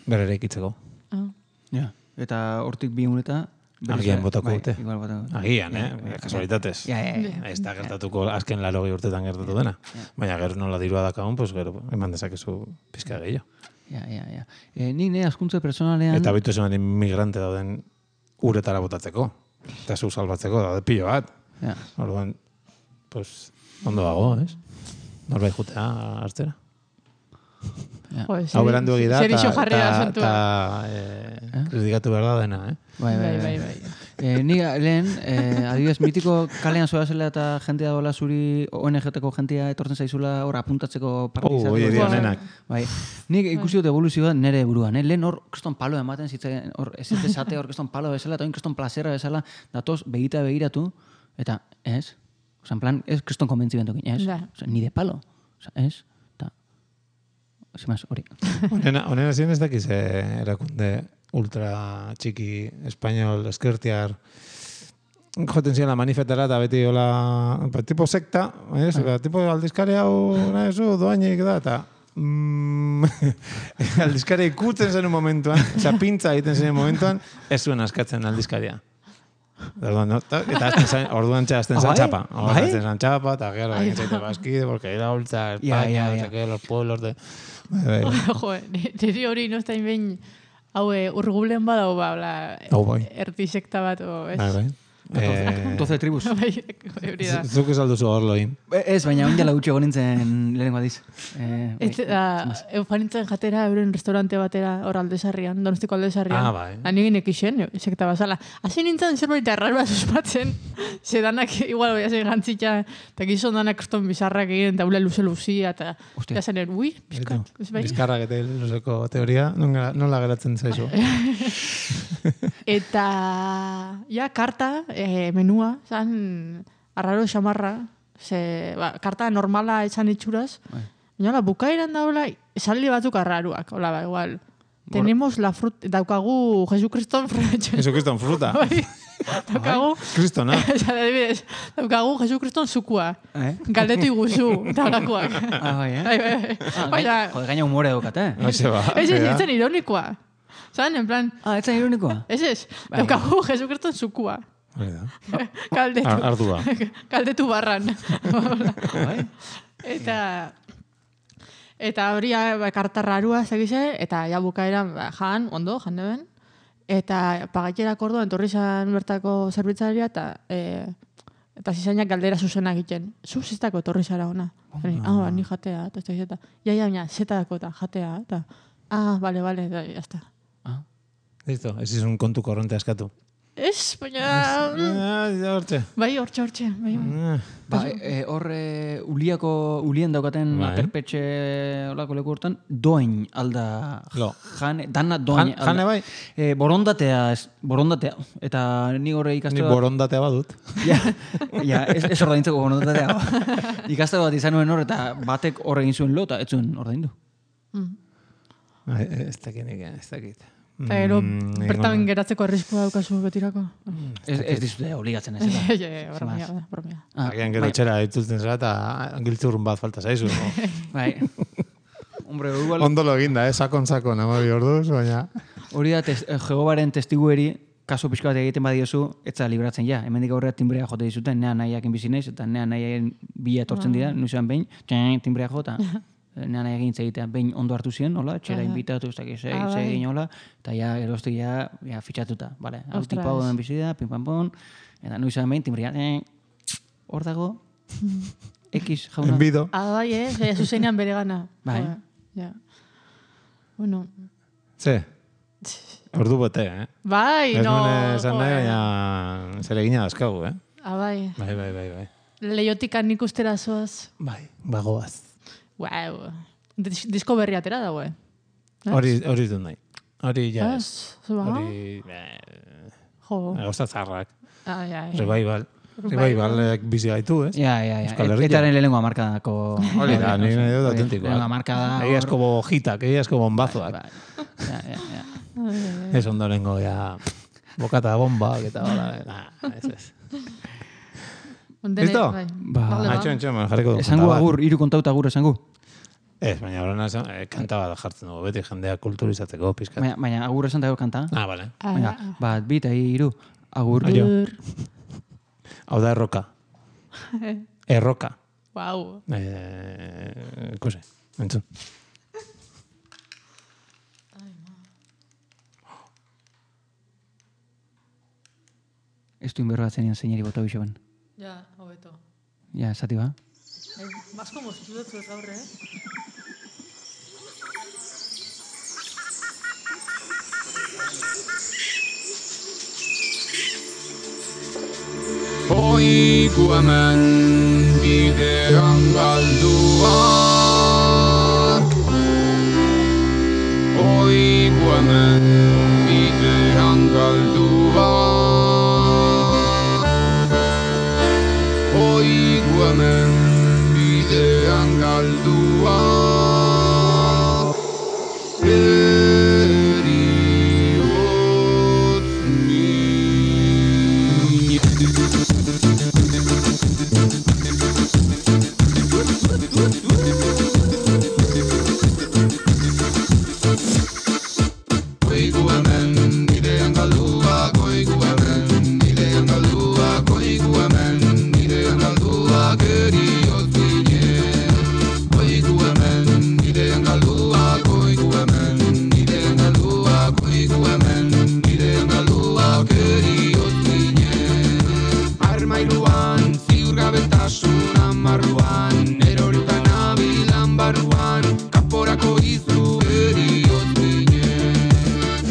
S4: berrere ikitzeko.
S5: Ah.
S3: Ja. Eta hortik bi uneta...
S4: Agian botako
S3: bai,
S4: dute.
S3: Igual botako dute.
S4: Agian, eh?
S3: Ja, ja,
S4: Kasualitatez.
S3: Ja, ja, ja.
S4: Ez da gertatuko azken larogei urtetan gertatu dena. Baina gero nola dirua dakagun, pues gero eman dezakezu pizka gehiago.
S3: Ja, ja, ja. E, nik ne askuntze personalean...
S4: Eta bitu esan inmigrante dauden uretara botatzeko. Eta zu salbatzeko daude pilo bat.
S3: Ja.
S4: Orduan, pues, ondo dago, ez? Norbait jutea hartzera.
S3: Ja.
S5: Jo,
S4: Hau berandu egida,
S5: zer iso jarri da
S4: eta
S5: santua.
S4: eh, kritikatu behar da dena, eh?
S3: Bai, bai, bai. bai. E, ni lehen, e, adibidez, mitiko kalean zoa zela eta jentea dola zuri O N G-teko jentea etortzen zaizula hor apuntatzeko parte
S4: Oh,
S3: izateko.
S4: oie dira nenak.
S3: Bai. Nik ikusi dut evoluzioa nere buruan, eh? Lehen hor kriston palo ematen zitzen, hor ez ez esate hor kriston palo bezala, eta hor kriston plazera bezala, datoz begita begiratu, eta ez, oza, en plan, ez kriston konbentzimentokin, ez?
S5: Ja.
S3: Oza, ni de palo, oza, ez? Eta, zimaz, hori.
S4: Honena, honena ziren ez dakiz eh, erakunde ultra txiki, espainol, eskertiar, joten ziren la manifetara eta beti hola, ba, tipo sekta, ez? Ba, tipo aldizkari hau, nahi zu, doainik da, eta mm, aldizkari ikutzen zen un momentuan, oza, pintza egiten zen momentuan, ez zuen askatzen aldizkaria. Orduan, no? Ta- Eta azten zain, orduan txazten zan
S3: Bai?
S4: txapa. Orduan
S3: Bai?
S4: azten zan txapa, eta gero,
S5: Ai,
S4: egin zaite bazkide, porque era ultra,
S3: Ja,
S4: España,
S3: ja,
S4: no
S3: ja.
S4: sé qué, los pueblos de... Bai, bai.
S5: Jo, niri hori no estain behin hau eh, urgulen badau ba, bla,
S4: Hau bai.
S5: erdi sekta bat, o, ez?
S4: Bai, bai. Eh,
S3: doce tribus.
S5: Bai, hori da.
S4: Zuk ez alduzu horloin.
S3: Ez, baina ondela gutxi egon nintzen lehenengo adiz. Eh, bai.
S5: Ez da, eufanintzen jatera euren restaurante batera hor aldesarrian, donostiko aldesarrian.
S4: Ah, bai.
S5: Anigin ekixen, sekta bazala. Hasi nintzen zerbait arrarua suspatzen, zedanak igual oia zen gantzitza, eta gizon danak kriston bizarrak egin, eta ule luze luzia, eta
S3: Hostia.
S5: ja zenen, ui, bizkat, ez bai?
S4: Bizkarrak eta luzeko teoria, nola, nola geratzen zaizu?
S5: Eta, ja, karta, eh, menua, zan, arraro xamarra, ze, ba, karta normala etxan itxuraz, baina, hola, bukaeran daula, esaldi batzuk arraruak, hola, ba, igual. Tenemos la fruta, daukagu Jesukriston fruta.
S4: Jesukriston fruta.
S5: Bai, daukagu,
S4: Kristona.
S5: esan adibidez, daukagu Jesukriston zukua.
S3: Eh?
S5: Galdetu iguzu, eta holakoak.
S3: Ah, bai, eh?
S5: Bai, bai, bai.
S3: Ah,
S5: Baina,
S3: gaina, joder, gaina humore daukat, eh?
S4: Hoxe ba.
S5: ez ez,
S4: ja.
S5: etzen ironikoa. Zan, en plan,
S3: Ah, etzan ironikoa?
S5: ez ez,
S3: Bai.
S5: daukagu Jesukriston zukua.
S4: Hori da.
S5: Galdetu.
S4: Ar- Ardua.
S5: Galdetu barran.
S3: Bai.
S5: eta eta hori ba, karta rarua zegize, eta ja bukaeran ba, jan, ondo, jan deben. Eta pagaiterak orduan, torri zan bertako zerbitzaria, eta e, eta zizainak galdera zuzena egiten. Zu ziztako torri zara ona. Ni, ah, ba, ni jatea, eta ez da zeta. Ja, ja, ja, zetako eta jatea, eta ah, bale, bale, eta jazta.
S4: Listo, ez izun kontu korronte askatu.
S5: Ez, baina...
S4: Ah, ja, hortxe.
S5: Bai, hortxe, hortxe. Bai, bai.
S4: Ah,
S3: Ba, e, hor e, uliako, ulien daukaten
S4: Bai.
S3: aterpetxe olako leku hortan, doain alda
S4: Lo.
S3: jane, dana doain
S4: Jan- jane bai?
S3: E, borondatea, ez, borondatea. Eta ni horre
S4: Ni
S3: ikastaro...
S4: borondatea badut.
S3: Ja, ja, ez, ez ordaintzeko borondatea. Ikastaro bat izan nuen hor, eta batek hor egin zuen lo, eta ez zuen ordaindu.
S4: Ai, Ez dakit nik, ez dakit.
S5: Eta gero,
S4: Mm,
S5: bertan
S4: egon-
S5: geratzeko arriskua daukazu betirako.
S3: Ez, ez dizute obligatzen ez.
S5: Ja,
S3: eta.
S5: ja, bromia, da, bromia.
S3: Ah,
S4: Agian gero
S3: bai,
S4: etxera itzultzen zara eta giltzurrun bat falta zaizu.
S3: bai. Hombre, igual,
S4: Ondo lo eginda, eh? Sakon, sakon, amari orduz, baina...
S3: hori da, tes, eh, Jehovaren testigueri, kaso pixka bat egiten badiozu, etza libratzen ja. Hemendik aurrera timbrea jote dizuten, nea nahiakin bizi naiz, eta nea nahiakin bila etortzen dira, nuizan behin, txen, timbrea jota. Nea nahi egin egitea behin ondo hartu ziren, hola, txera inbitatu, ez dakiz,
S5: Ah, bai.
S3: egin hola, eta ja, eroztik ja, ja fitxatuta, bale, hau
S5: Ostras.
S3: tipa hau den bizi da, pim pam pon, eta nuizan behin, timbrea, eh, hor dago, X jauna.
S4: Enbido.
S5: Ah, bai, eh? Ja, zuzenean bere gana.
S3: Bai.
S5: Ja. Bueno.
S4: Ze? Ordu bete, eh?
S5: Bai,
S4: Ez
S5: no.
S4: nuen esan nahi,
S5: joe.
S4: baina zeregina dazkagu, eh?
S5: Ah, bai.
S4: Bai, bai, bai, bai.
S5: Leiotikan ikustera zoaz.
S4: Bai, bagoaz.
S5: Wow. Dis disko berri atera dago, eh?
S4: Hori, hori du nahi. Hori, ja, ez.
S5: Ez, zu ba?
S4: Hori, eh,
S5: Jo.
S4: gauza zarrak.
S5: Ah, ja, ja.
S4: Revival. Revivalek bizi gaitu, ez?
S3: Ja, ja, ja.
S4: Euskal Herria.
S3: Etaren lehenengo amarkadako...
S4: Hori da, nire nahi dut
S3: Hori,
S4: autentikoa.
S3: lehenengo amarkada... hor-
S4: Egiazko bojitak, egiazko bombazoak.
S3: Bai, ja, ja, ja.
S4: Ez ondorengo, ja, bokata bombak eta hola. Nah, ez ez.
S5: Dene-
S4: Listo?
S5: bai.
S3: Ba,
S5: Vale,
S4: Ah, txon, txon, jarriko du.
S3: Esango agur, hiru kontauta agur esango.
S4: Ez, baina horrena esan, eh, kanta bat jartzen dugu, beti jendea kulturizatzeko, pizkat.
S3: Baina, baina agur esan dago kanta.
S4: Ah, bale.
S5: Ah,
S3: Venga, bat, bit, hiru. Agur.
S4: Aio. Hau da erroka. Erroka.
S5: Wow.
S4: Eh, ikuse, entzun.
S3: ez duin berroatzen ean zeinari bota bixo ben.
S5: Ja, hobeto.
S3: Ja, esati ba.
S5: Basko moztu dut zuet gaur, eh?
S6: Oiku hemen bidean galduak. Oiku hemen bidean galduak. Oiku hemen bidean galduak. Eriotz min. Oiku hemen bidean galduak, oiku hemen bidean galduak, oiku hemen bidean galduak, eriotz ginen. Oiku hemen bidean galduak, oiku hemen bidean galduak, oiku hemen bidean galduak, eriotz ginen. Armairuan ziurgabetasun amarruan, erorita nabilan barruan, kaporako izu eriotz ginen.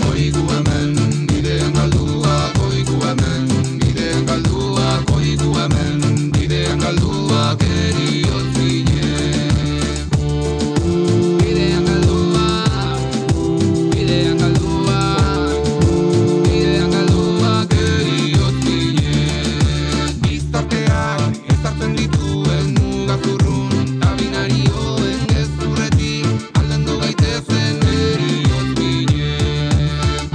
S6: Oiku hemen bidean galduak, oiku hemen bidean galduak, oiku hemen bidean galduak, eriotz ginen. Bidean galduak, bidean galduak, bidean galduak, eriotz ginen. Gizarteak ezartzen dituen mugazurrun, tabinarioen gezurretik aldendu gaitezen eriotz ginen.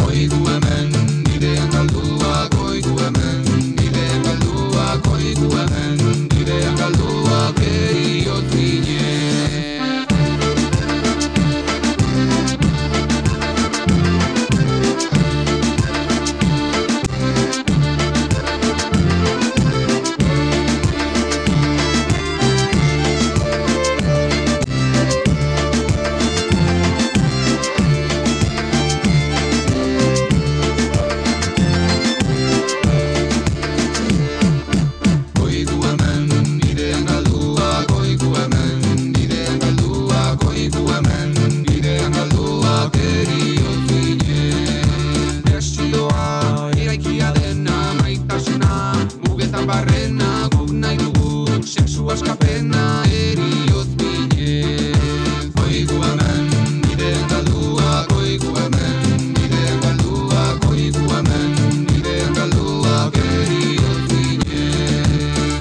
S6: Oiku hemen bidean galduak, oiku hemen bidean galduak, oiku hemen bidean galduak, eriotz ginen. Oiku hemen bidean galduak, oiku hemen bidean galduak, oiku hemen bidean galduak, eriotz ginen. Desioa eraikia dena maitasuna, mugetan barrena guk nahi dugu, sexu askapena eriotz ginen. Oiku hemen bidean galduak, oiku hemen bidean galduak, oiku hemen bidean galduak, eriotz ginen.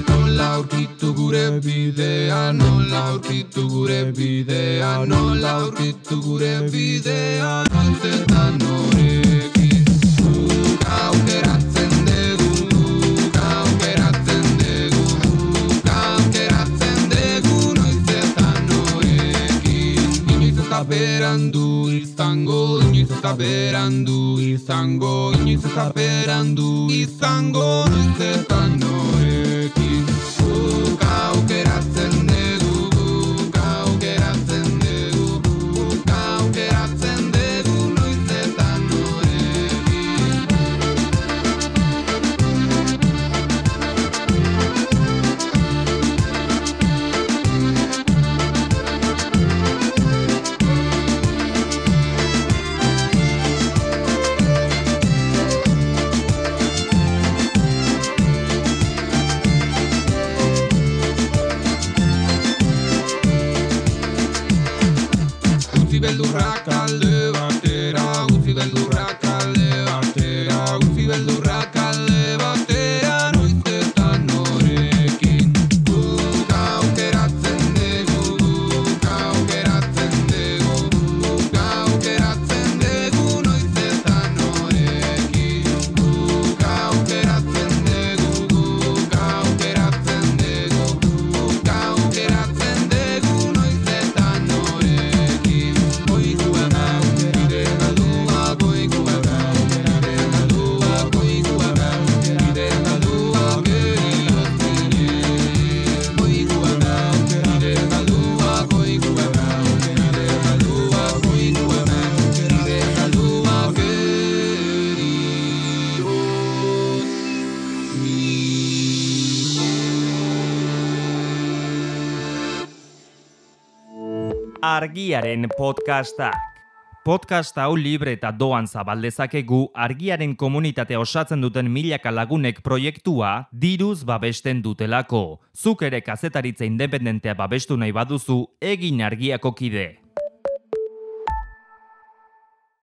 S6: Nola aurkitu gure bidea, nola aurkitu gure bidea, nola aurkitu gure bidea, noiz eta norekin. Guk aukeratzen dugu, guk aukeratzen dugu, guk aukeratzen dugu, noiz eta norekin. Inoiz ez da berandu izango, inoiz ez da berandu izango, inoiz ez da berandu izango, noiz eta norekin. Guk aukeratzen dugu, guk aukeratzen dugu, guk aukeratzen dugu, noiz eta norekin.
S1: Argiaren podcastak. Podcast hau libre eta doan zabaldezakegu Argiaren komunitatea osatzen duten milaka lagunek proiektua diruz babesten dutelako. Zuk ere kazetaritza independentea babestu nahi baduzu, egin Argiako kide.